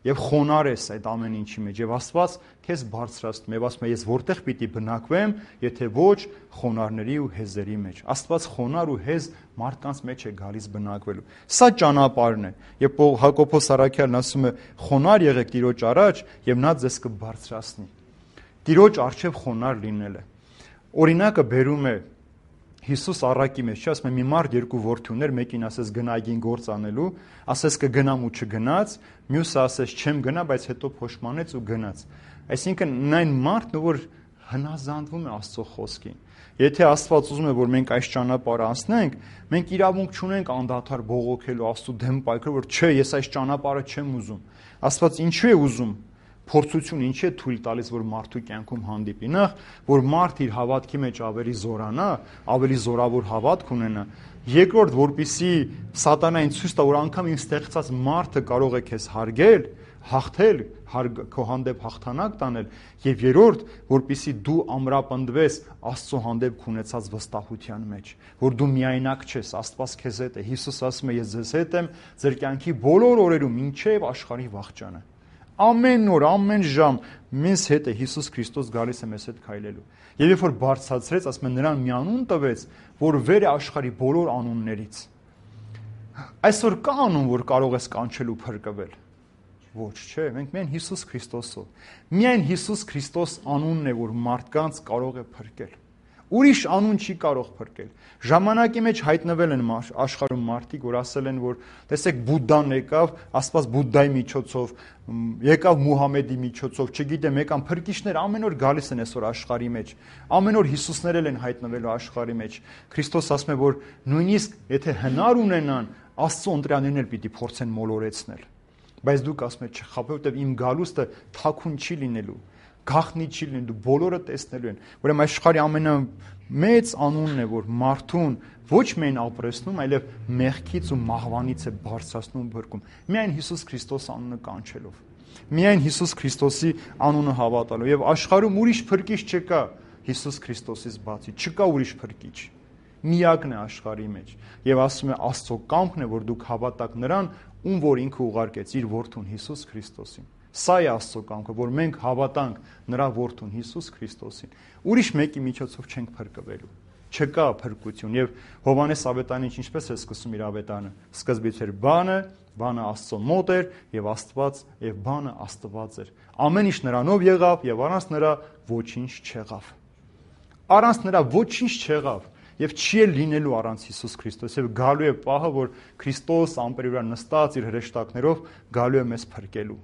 S1: Եվ խոնար ես այդ ամեն ինչի մեջ, եւ Աստված քեզ բարձրացնում, եւ ասում է ես որտեղ պիտի բնակվեմ, եթե ոչ խոնարհների ու հեզերի մեջ։ Աստված խոնար ու հեզ մարդկանց մեջ է գալիս բնակվելու։ Սա ճանապարհն է։ Եվ Հակոբոս Առաքյալն ասում է. խոնար եղեք Տիրոջ առաջ, եւ նա ձեզ կբարձրացնի։ Տիրոջ առջև խոնար լինելը։ Օրինակը բերում է Հիսուս առակի մեջ, չի ասում է մի մարդ երկու որդի ուներ, մեկին ասես գնա այգին գործ անելու, ասես կգնամ ու չգնաց, մյուսը ասես չեմ գնա, բայց հետո փոշմանեց ու գնաց։ Այսինքն նայն մարդն որ հնազանդվում է Աստծո խոսքին։ Եթե Աստված ուզում է որ մենք այս ճանապարհը անցնենք, մենք իրավունք չունենք անդադար բողոքելու Աստծո դեմ պայքարել, որ չէ, ես այս ճանապարհը չեմ ուզում։ Աստված ինչու է ուզում փորձություն ինչի է թույլ տալիս, որ մարդու կյանքում հանդիպի։ Նախ, որ մարդ իր հավատքի մեջ ավելի զորանա, ավելի զորավոր հավատք ունենա։ Երկրորդ, որպեսզի սատանային ցույց տա, որ անգամ իմ ստեղծած մարդը կարող է քեզ հարգել, հաղթել, քո հանդեպ հաղթանակ տանել։ Եվ երրորդ, որպեսզի դու ամրապնդվես Աստծո հանդեպ ունեցած վստահության մեջ, որ դու միայնակ չես, Աստված քեզ հետ է։ Հիսուս ասում է, ես ձեզ հետ եմ ձեր կյանքի բոլոր օրերում, մինչև աշխարհի վախճանը։ Ամեն օր, ամեն ժամ մեզ հետ է Հիսուս Քրիստոս գալիս է մեզ հետ քայլելու։ Եվ երբ որ բարձրացրեց, ասում է նրան մի անուն տվեց, որ վեր է աշխարհի բոլոր անուններից։ Այսօր կա անուն, որ կարող ես կանչել ու փրկվել։ Ոչ, չէ, մենք միայն Հիսուս Քրիստոսով։ Միայն Հիսուս Քրիստոս անունն է, որ մարդկանց կարող է փրկել։ Ուրիշ անուն չի կարող փրկել։ Ժամանակի մեջ հայտնվել են աշխարհում մարդիկ, որ ասել են, որ տեսեք Բուդդան եկավ, Աստված Բուդդայի միջոցով, եկավ Մուհամեդի միջոցով, չգիտեմ, եկան փրկիչներ ամեն օր գալիս են այսօր աշխարհի մեջ։ Ամեն օր Հիսուսներ են հայտնվելու աշխարհի մեջ։ Քրիստոս ասում է, որ նույնիսկ եթե հնար ունենան, Աստծո ընտրյալներն էլ պիտի փորձեն մոլորեցնել։ Բայց դուք ասում եք, չխաբե, որտեվ իմ գալուստը թաքուն չի լինելու։ Գախնի չի լինի, դու բոլորը տեսնելու են։ Ուրեմն աշխարհի ամենամեծ անունն է, որ մարդուն ոչ միայն ապրեցնում, այլև մեղքից ու մահվանից է բարձրացնում, փրկում։ Միայն Հիսուս Քրիստոս անունը կանչելով։ Միայն Հիսուս Քրիստոսի անունը հավատալով։ Եվ աշխարհում ուրիշ փրկիչ չկա Հիսուս Քրիստոսից բացի, չկա ուրիշ փրկիչ։ Միակն է աշխարհի մեջ։ Եվ ասում է Աստծո կամքն է, որ դուք հավատաք նրան, ում որ ինքը ուղարկեց իր որդուն Հիսուս Քրիստոսին։ Սա է Աստծո կամքը, որ մենք հավատանք նրա որդուն Հիսուս Քրիստոսին։ Ուրիշ մեկի միջոցով չենք փրկվելու։ չկա փրկություն։ Եվ Հովհաննես ավետարանը ինչպես է սկսում իր ավետարանը։ Սկզբից էր բանը, բանը Աստծո մոտ էր եւ Աստված եւ բանը Աստված էր։ Ամեն ինչ նրանով եղավ եւ առանց նրա ոչինչ չեղավ։ Առանց նրա ոչինչ չեղավ եւ չի էլ լինելու առանց Հիսուս Քրիստոս։ Եվ գալու է պահը, որ Քրիստոս ամպերի վրա նստած իր հրեշտակներով գալու է մեզ փրկելու։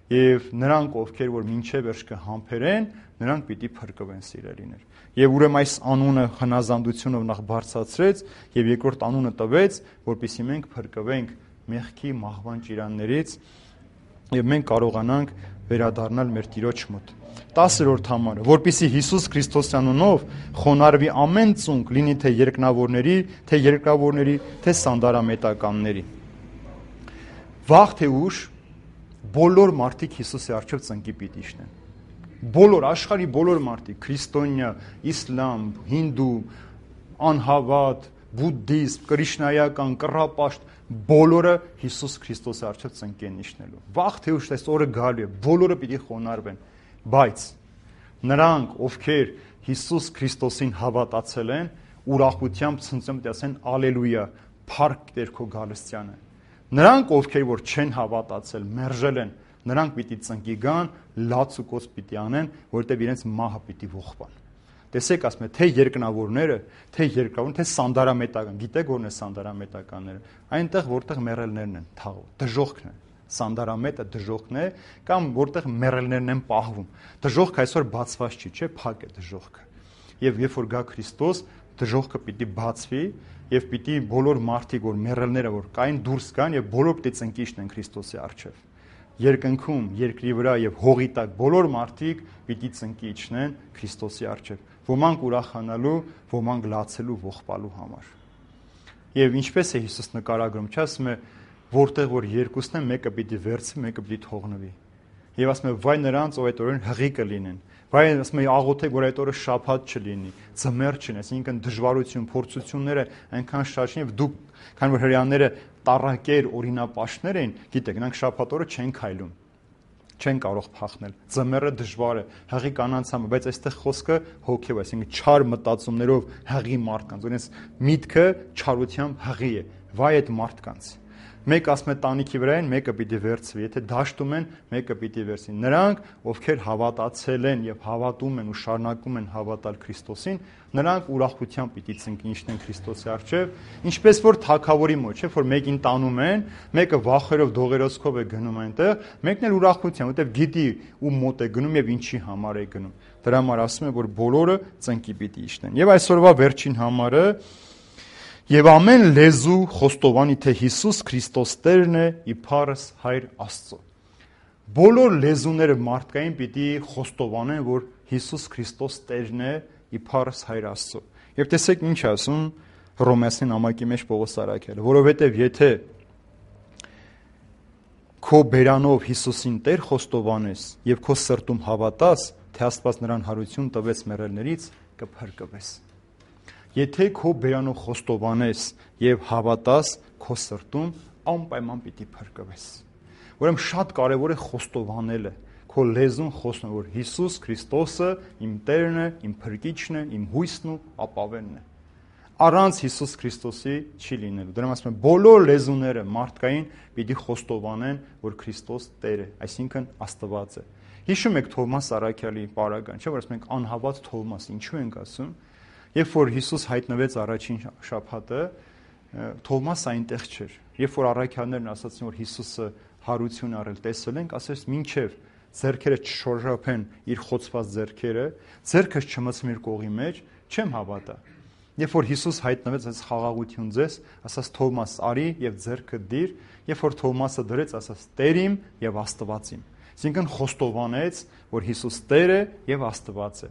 S1: Եվ նրանք, ովքեր որ մինչև վերջ կհամբերեն, նրանք պիտի փրկվեն, սիրելիներ։ Եվ ուրեմն այս անունը հնազանդությունով նախ բարձրացրեց եւ երկրորդ անունը տվեց, որպեսզի մենք փրկվենք մեղքի մահվան ճիրաններից եւ մենք կարողանանք վերադառնալ մեր Տիրոջ մոտ։ տասերորդ համարը, որպեսզի Հիսուս Քրիստոսի անունով խոնարհվի ամեն ծունկ, լինի թե երկնավորների, թե երկրավորների, թե սանդարամետականների։ Վաղ թե ուշ բոլոր մարդիկ Հիսուսի առջև ծնկի պիտի իջնեն։ Բոլոր աշխարհի բոլոր մարդիկ, քրիստոնյա, իսլամ, հինդու, անհավատ, բուդդիստ, կրիշնայական, կռապաշտ, բոլորը Հիսուս Քրիստոսի առջև ծնկի են իջնելու։ Վաղ թե ուշ այս օրը գալու է, բոլորը պիտի խոնարհվեն, բայց նրանք, ովքեր Հիսուս Քրիստոսին հավատացել են, ուրախությամբ ցնցում պիտի ասեն ալելույա, փառք Տեր քո գալստյանը։ Նրանք, ովքեր որ չեն հավատացել, մերժել են, նրանք պիտի ծնկի գան, լաց ու կոց պիտի անեն, որտեղ իրենց մահը պիտի ողբան։ Տեսեք, ասում է, թե երկնավորները, թե երկրավորները, թե սանդարամետական, գիտեք ո՞րն է սանդարամետականները, այնտեղ որտեղ մեռելներն են թաղում, դժոխքն է։ Սանդարամետը դժոխքն է, կամ որտեղ մեռելներն են պահվում։ Դժոխքը այսօր բացված չի, չէ՞, փակ է դժոխքը։ Եվ երբ որ գա Քրիստոս, դժոխքը պիտի բացվի, եւ պիտի բոլոր մարդիկ, որ մեռելները որ կային, դուրս գան եւ բոլոր պիտի ծնկի իջնեն Քրիստոսի առջև։ Երկնքում, երկրի վրա եւ հողի տակ բոլոր մարդիկ պիտի ծնկի իջնեն Քրիստոսի առջև։ Ոմանք ուրախանալու, ոմանք լացելու, ողբալու համար։ Եվ ինչպես է Հիսուս նկարագրում, չէ՞, ասում է, որտեղ որ երկուսն են, մեկը պիտի վերցվի, մեկը պիտի թողնվի։ Եվ ասում է, վայ նրանց, ով այդ օրերին հղի կլինեն։ Վայ, ասում է, աղոթե, որ այդ օրը շաբաթ չլինի, ձմեռ չլինի, այսինքն դժվարություն, փորձությունները այնքան շատ չեն, եւ դուք, քանի որ հрьяաները տառակեր, օրինապաշտներ էին, գիտեք, նրանք շաբաթ օրը չեն քայլում, չեն կարող փախնել։ Ձմեռը դժվար է, հղի կանանց համար, բայց այստեղ խոսքը հոգեව, այսինքն չար մտածումներով հղի մարդկանց, օրինակ միտքը չարությամբ հղի է, վայ այդ մարդկանց։ Մեկ ասում է տանիքի վրա են, մեկը պիտի վերցվի, եթե դաշտում են, մեկը պիտի վերցվի։ Նրանք, ովքեր հավատացել են եւ հավատում են ու շարունակում են հավատալ Քրիստոսին, նրանք ուրախությամբ պիտի ծնկի իջնեն Քրիստոսի առջև, ինչպես որ թագավորի մոտ, չէ՞, որ մեկին տանում են, մեկը վախերով, դողերոցքով է գնում այնտեղ, մեկն էլ ուրախությամբ, որտեղ գիտի ում մոտ է գնում եւ ինչի համար է գնում։ Դրա համար ասում է, որ բոլորը ծնկի պիտի իջնեն։ Եվ այսօրվա վերջին համարը Եվ ամեն լեզու խոստովանի, թե Հիսուս Քրիստոս Տերն է, իբարս Հայր Աստծո։ Բոլոր լեզուները մարդկային պիտի խոստովանեն, որ Հիսուս Քրիստոս Տերն է, իբարս Հայր Աստծո։ Եվ տեսեք ինչ ասում Հռոմեացին նամակի մեջ Պողոս առաքյալը, որովհետև եթե քո բերանով Հիսուսին Տեր խոստովանես եւ քո սրտում հավատաս, թե Աստված նրան հարություն տվեց մեռելներից, կփրկվես։ Եթե քո բերանով խոստովանես եւ հավատաս քո սրտում, անպայման պիտի փրկվես։ Ուրեմն շատ կարեւոր է խոստովանելը, քո լեզուն խոստովանել, որ Հիսուս Քրիստոսը իմ Տերն է, իմ Փրկիչն է, իմ հույսն ու ապավենն է։ Առանց Հիսուս Քրիստոսի չի լինելու։ Դրա համար ասում եմ, բոլոր լեզուները մարդկային պիտի խոստովանեն, որ Քրիստոս Տեր է, այսինքն Աստված է։ Հիշում եք Թովմաս առաքյալի պարագան, չէ՞ որ ասում ենք անհավատ Թովմաս, ինչու ենք ասում։ Երբ որ Հիսուս հայտնվեց առաջին շաբաթը, Թովմասը այնտեղ չէր։ Երբ որ առաքյալներն ասացին, որ Հիսուսը հարություն առել, տեսել ենք, ասես մինչև ձեռքերը չշորժափեն իր խոցված ձեռքերը, ձեռքս չմցեմ իր կողի մեջ, չեմ հավատա։ Երբ որ Հիսուս հայտնվեց, այս խաղաղություն ձեզ, ասաց Թովմաս, արի եւ ձեռքը դիր, երբ որ Թովմասը դրեց, ասաց Տեր իմ եւ Աստված իմ։ Այսինքն խոստովանեց, որ Հիսուս Տեր է եւ Աստված է։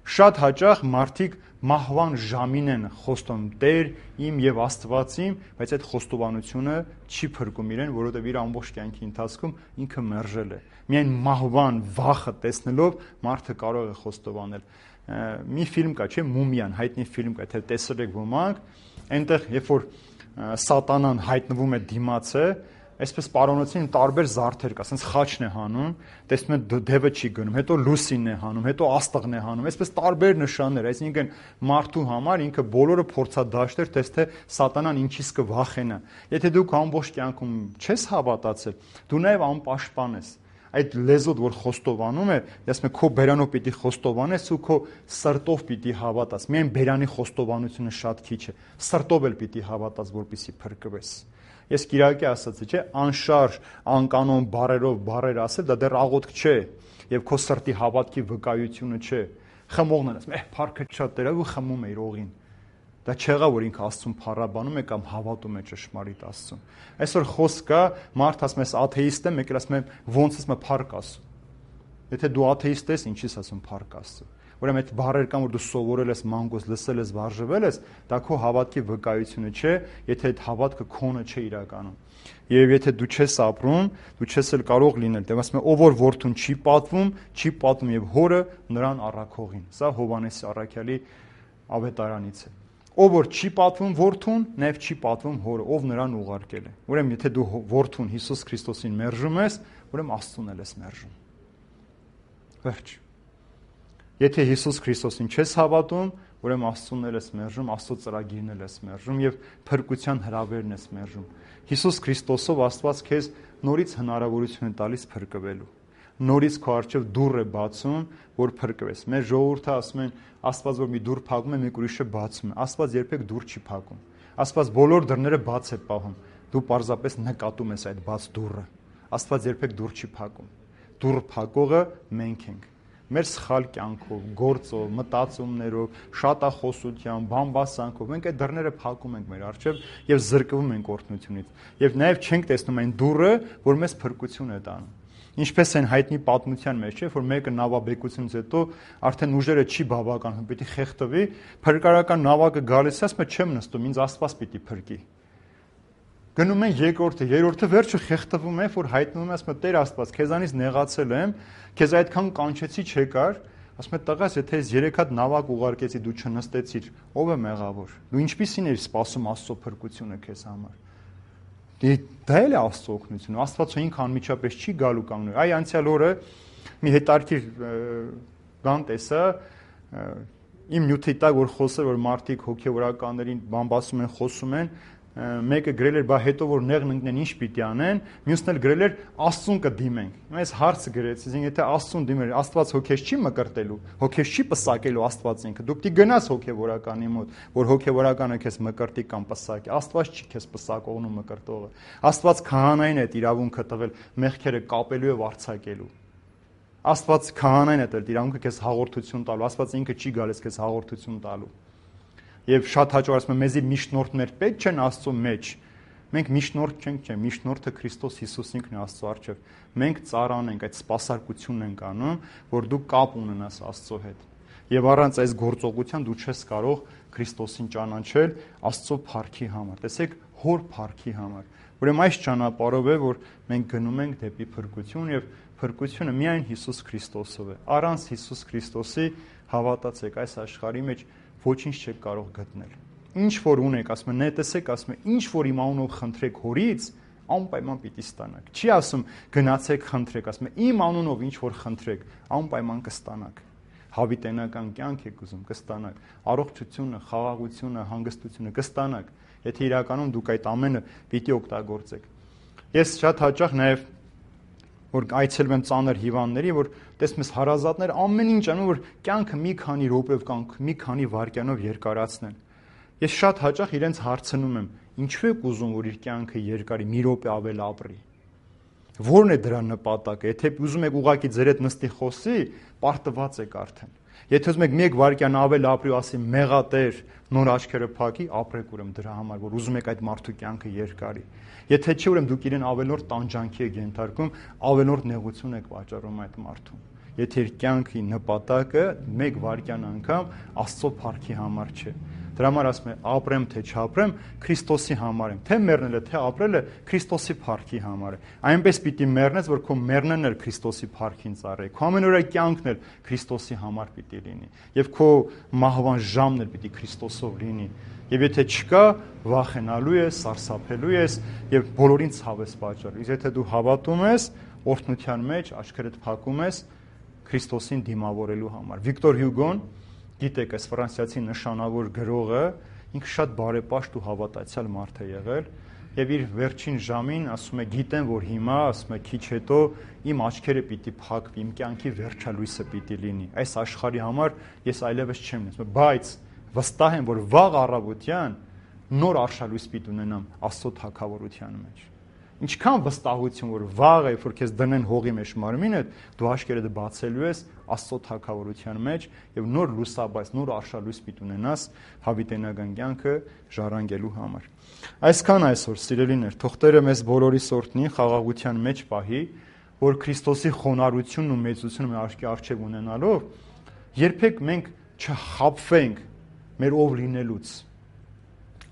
S1: Շատ հաճախ մարդիկ մահվան ժամին են խոստում Տեր իմ եւ Աստված իմ, բայց այդ խոստովանությունը չի փրկում իրեն, որովհետեւ իր ամբողջ կյանքի ընթացքում ինքը մերժել է։ Միայն մահվան վախը տեսնելով մարդը կարող է խոստովանել։ Մի ֆիլմ կա, չէ՞, Մումիան, հայտնի ֆիլմ կա, թե տեսել եք ոմանք, այնտեղ երբ որ սատանան հայտնվում է դիմացը, Այսպես պարոնոցին տարբեր զարդեր կա, ասենց խաչն է հանում, տեսնում են դևը չի գնում, հետո լուսինն է հանում, հետո աստղն է հանում, այսպես տարբեր նշաններ, այսինքն մարդու համար ինքը բոլորը փորձադաշտեր, տես թե սատանան ինչից կվախենա։ Եթե դու քո ամբողջ կյանքում չես հավատացել, դու նաև անպաշտպան ես։ Այդ լեզուդ, որ խոստովանում է, ասում է քո բերանով պիտի խոստովանես ու քո սրտով պիտի հավատաս։ Միայն բերանի խոստովանությունը շատ քիչ է, սրտով էլ պիտի հավատաս, որպեսզի փրկվես։ Ես Կիրակի ասացի, չէ, անշարժ, անկանոն բառերով բառեր ասել, դա դեռ աղոթք չէ, եւ քո սրտի հավատքի վկայությունը չէ։ Խմողն են ասում, «Էհ, փառքը շատ տերավ» ու խմում է իր օղին։ Դա չեղա, որ ինքը Աստծուն փառաբանում է կամ հավատում է ճշմարիտ Աստծուն։ Այսօր խոսք կա, մարդ ասում է, աթեիստ եմ, եկել ասում է, ոնց ասում է փառք Աստծո։ Եթե դու աթեիստ ես, ինչի՞ս ասում փառք Աստծո։ Ուրեմն այդ բառեր կան, որ դու սովորել ես, մանգոս լսել ես, վարժվել ես, դա քո հավատքի վկայությունը չէ, եթե այդ հավատքը քոնը չէ իրականում։ Եվ եթե դու չես ապրում, դու չես էլ կարող լինել։ Դե ասում է, ով որ որդուն չի պատվում, չի պատվում եւ հորը նրան առաքողին։ Սա Հովհաննես առաքյալի ավետարանից է։ Ով որ չի պատվում որդուն, նաև չի պատվում հորը, ով նրան ուղարկել է։ Ուրեմն եթե դու որդուն Հիսուս Քրիստոսին մերժում ես, ուրեմն Աստծուն էլ ես մերժում։ Վերջ։ Եթե Հիսուս Քրիստոսին չես հավատում, ուրեմն Աստծուն էլ ես մերժում, Աստծո ծրագիրն էլ ես մերժում եւ փրկության հրավերն ես մերժում։ Հիսուս Քրիստոսով Աստված քեզ նորից հնարավորություն է տալիս փրկվելու։ Նորից քո առջև դուռ է բացում, որ փրկվես։ Մեր ժողովուրդը ասում են, Աստված որ մի դուռ փակում է, մեկ ուրիշը բացում է։ Աստված երբեք դուռ չի փակում։ Աստված բոլոր դռները բաց է պահում։ Դու պարզապես նկատում ես այդ բաց դուռը։ Աստված երբեք դուռ չի փակում։ Դուռ փակողը մենք ենք։ Մեր սխալ կյանքով, գործով, մտածումներով, շատախոսությամբ, բամբասանքով մենք այդ դռները փակում ենք մեր առջև եւ զրկվում ենք օրհնությունից։ Եվ նաեւ չենք տեսնում այն դուռը, որ մեզ փրկություն է տանում։ Ինչպես են հայտնի պատմության մեջ, չէ, որ մեկը նավաբեկությունից հետո արդեն ուժերը չի բավական, պիտի խեղդվի, փրկարարական նավակը գալիս է, ասում է, չեմ նստում, ինձ Աստված պիտի փրկի։ Գնում են երկրորդը, երրորդը վերջը խեղդվում է, որ հայտնվում է, ասում է, Տեր Աստված, քեզանից նեղացել եմ, քեզ այդքան կանչեցի չեկար, ասում է, տղաս, եթե ես երեք հատ նավակ ուղարկեցի, դու չնստեցիր, ով է մեղավոր։ Դու ինչպիսին ես սպասում Աստծո փրկությունը քեզ համար։ Դա էլ է Աստծո օգնությունը։ Աստվածը ինքը անմիջապես չի գալու կանգնում։ Այ անցյալ օրը մի հետարքիր բան տեսա, իմ նյութի տակ որ խոսել որ մարդիկ հոգեվորականներին բամբասում են, խոսում են, մեկը գրել էր, բա հետո որ նեղն ընկնեն ինչ պիտի անեն, մյուսն էլ գրել էր Աստծուն կդիմենք։ Ես հարցը գրեցի, ասին եթե Աստծուն դիմեր, Աստված հոգեշ չի մկրտելու, հոգեշ չի պսակելու Աստված ինքը։ Դու պիտի գնաս հոգեվորականի մոտ, որ հոգեվորականը քեզ մկրտի կամ պսակի։ Աստված չի քեզ պսակողն ու մկրտողը։ Աստված քահանային է իրավունքը տվել մեղքերը կապելու եւ արձակելու։ Աստված քահանային է տվել իրավունքը քեզ հաղորդություն տալու։ Աստված ինքը չի գալիս քեզ հաղորդություն տալու։ Եվ շատ հաճախ ասում եմ, մեզի միշնորդներ պետք չեն Աստծո մեջ։ Մենք միշնորդ չենք, չէ, միշնորդը Քրիստոս Հիսուս ինքն է Աստծո առջև։ Մենք ծառան ենք, այդ սպասարկությունն ենք անում, որ դու կապ ունենաս Աստծո հետ։ Եվ առանց այս գործողության դու չես կարող Քրիստոսին ճանաչել Աստծո փառքի համար։ Տեսեք, հոր փառքի համար։ Ուրեմն այս ճանապարհով է, որ մենք գնում ենք դեպի փրկություն եւ փրկությունը միայն Հիսուս Քրիստոսով է։ Առանց Հիսուս Քրիստոսի հավատացեք այս աշխարհի մեջ ոչինչ չեք կարող գտնել։ Ինչ որ ունեք, ասում են, տեսեք, ասում են, ինչ որ իմ անունով խնդրեք հորից, անպայման պիտի ստանաք։ Չի ասում գնացեք խնդրեք, ասում է իմ անունով ինչ որ խնդրեք, անպայման կստանաք։ Հավիտենական կյանք եք ուզում, կստանաք։ Առողջությունը, խաղաղությունը, հանգստությունը կստանաք, եթե իրականում դուք այդ ամենը պիտի օգտագործեք։ Ես շատ հաճախ նաև որ այցելում եմ ծանր հիվանդների, որ տեսնում ես հարազատներ ամեն ինչ անում, որ կյանքը մի քանի րոպեով կամ մի քանի վայրկյանով երկարացնեն։ Ես շատ հաճախ իրենց հարցնում եմ, ինչու եք ուզում, որ իր կյանքը երկարի, մի րոպե ավել ապրի։ Որն է դրա նպատակը։ Եթե ուզում եք ուղակի ձեր հետ նստի խոսի, պարտված եք արդեն։ Եթե ուզում եք մեկ վայրկյան ավել ապրի ու ասի մեղատեր, նոր աչքերը փակի, ապրեք ուրեմն դրա համար, որ ուզում եք այդ մարդու կյանքը երկարի։ Եթե չի, ուրեմն դուք իրեն ավելորդ տանջանքի եք ենթարկում, ավելորդ նեղություն եք վաճառում այդ մարդուն։ Եթե իր կյանքի նպատակը մեկ վայրկյան անգամ Աստծո փառքի համար չէ։ Դրա համար ասում եմ, ապրեմ թե չապրեմ, Քրիստոսի համար եմ, թե մեռնելը, թե ապրելը Քրիստոսի փառքի համար է։ Այնպես պիտի մեռնես, որ քո մեռնելն էլ Քրիստոսի փառքին ծառայի, քո ամենօրյա կյանքն էլ Քրիստոսի համար պիտի լինի, եւ քո մահվան ժամն էլ պիտի Քրիստոսով լինի։ Եվ եթե չկա, վախենալու ես, սարսափելու ես եւ բոլորին ցավ ես պատճառել։ Իսկ եթե դու հավատում ես, օրհնության մեջ աչքերդ փակում ես Քրիստոսին դիմավորելու համար։ Վիկտոր Հյուգոն, գիտեք, այս ֆրանսիացի նշանավոր գրողը, ինքը շատ բարեպաշտ ու հավատացյալ մարդ է եղել եւ իր վերջին ժամին ասում է գիտեմ, որ հիմա, ասում է քիչ հետո իմ աչքերը պիտի փակվի, իմ կյանքի վերջալույսը պիտի լինի։ Այս աշխարհի համար ես այլևս չեմ ունեցել, բայց վստահ եմ, որ վաղ առավոտյան նոր արշալույս պիտի ունենամ Աստծո թագավորության մեջ։ Ինչքան վստահություն, որ վաղը, երբ որ քեզ դնեն հողի մեջ մարմինդ, դու աշկերտդ բացելու ես Աստծո թագավորության մեջ եւ նոր լուսաբաց, նոր արշալույս պիտի ունենաս հավիտենական կյանքը ժառանգելու համար։ Այսքան այսօր, սիրելիներ, թող Տերը մեզ բոլորիս օրհնի, խաղաղության մեջ պահի, որ Քրիստոսի խոնարհությունն ու մեծությունը մեր աչքի առջև ունենալով, երբեք մենք չխաբվենք մեր ով լինելուց։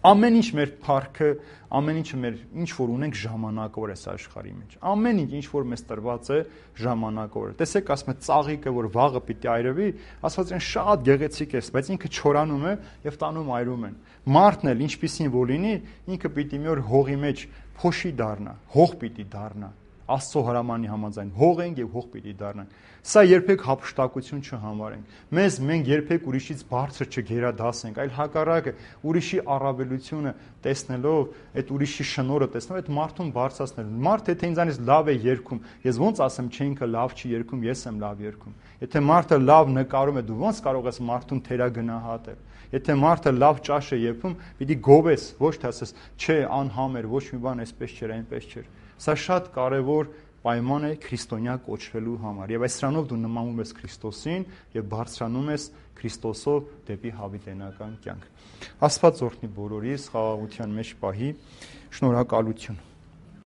S1: Ամեն ինչ մեր փառքը, ամեն ինչը մեր ինչ որ ունենք ժամանակավոր է աշխարհի մեջ։ Ամեն ինչ ինչ որ մեզ տրված է ժամանակավոր է։ Տեսեք, ասում է ծաղիկը, որ վաղը պիտի այրվի, ասված են շատ գեղեցիկ է, բայց ինքը չորանում է եւ տանում այրում են։ Մարդն էլ ինչպիսին որ լինի, ինքը պիտի մի օր հողի մեջ փոշի դառնա, հող պիտի դառնա։ Աստծո հրամանի համաձայն հող ենք եւ հող պիտի դառնանք։ Սա երբեք հափշտակություն չհամարենք։ Մեզ մենք երբեք ուրիշից բարձր չգերադասենք, այլ հակառակը ուրիշի առավելությունը տեսնելով, այդ ուրիշի շնորհը տեսնելով, այդ մարդուն բարձրացնել։ Մարդ եթե ինձանից լավ է երգում, ես ոնց ասեմ, չէ ինքը լավ չի երգում, ես եմ լավ երգում։ Եթե մարդը լավ նկարում է, դու ոնց կարող ես մարդուն թերագնահատել։ Եթե մարդը լավ ճաշ է եփում, պիտի գովես, ոչ թե ասես, չէ, անհամեր, ոչ մի բան այսպես չէր, այնպես չէր։ Սա շատ կարևոր պայման է քրիստոնյա կոչվելու համար։ Եվ այս սրանով դու նմանում ես Քրիստոսին եւ բարձրանում ես Քրիստոսով դեպի հավիտենական կյանք։ Աստված օրհնի բոլորիս, խաղաղության մեջ պահի։ Շնորհակալություն։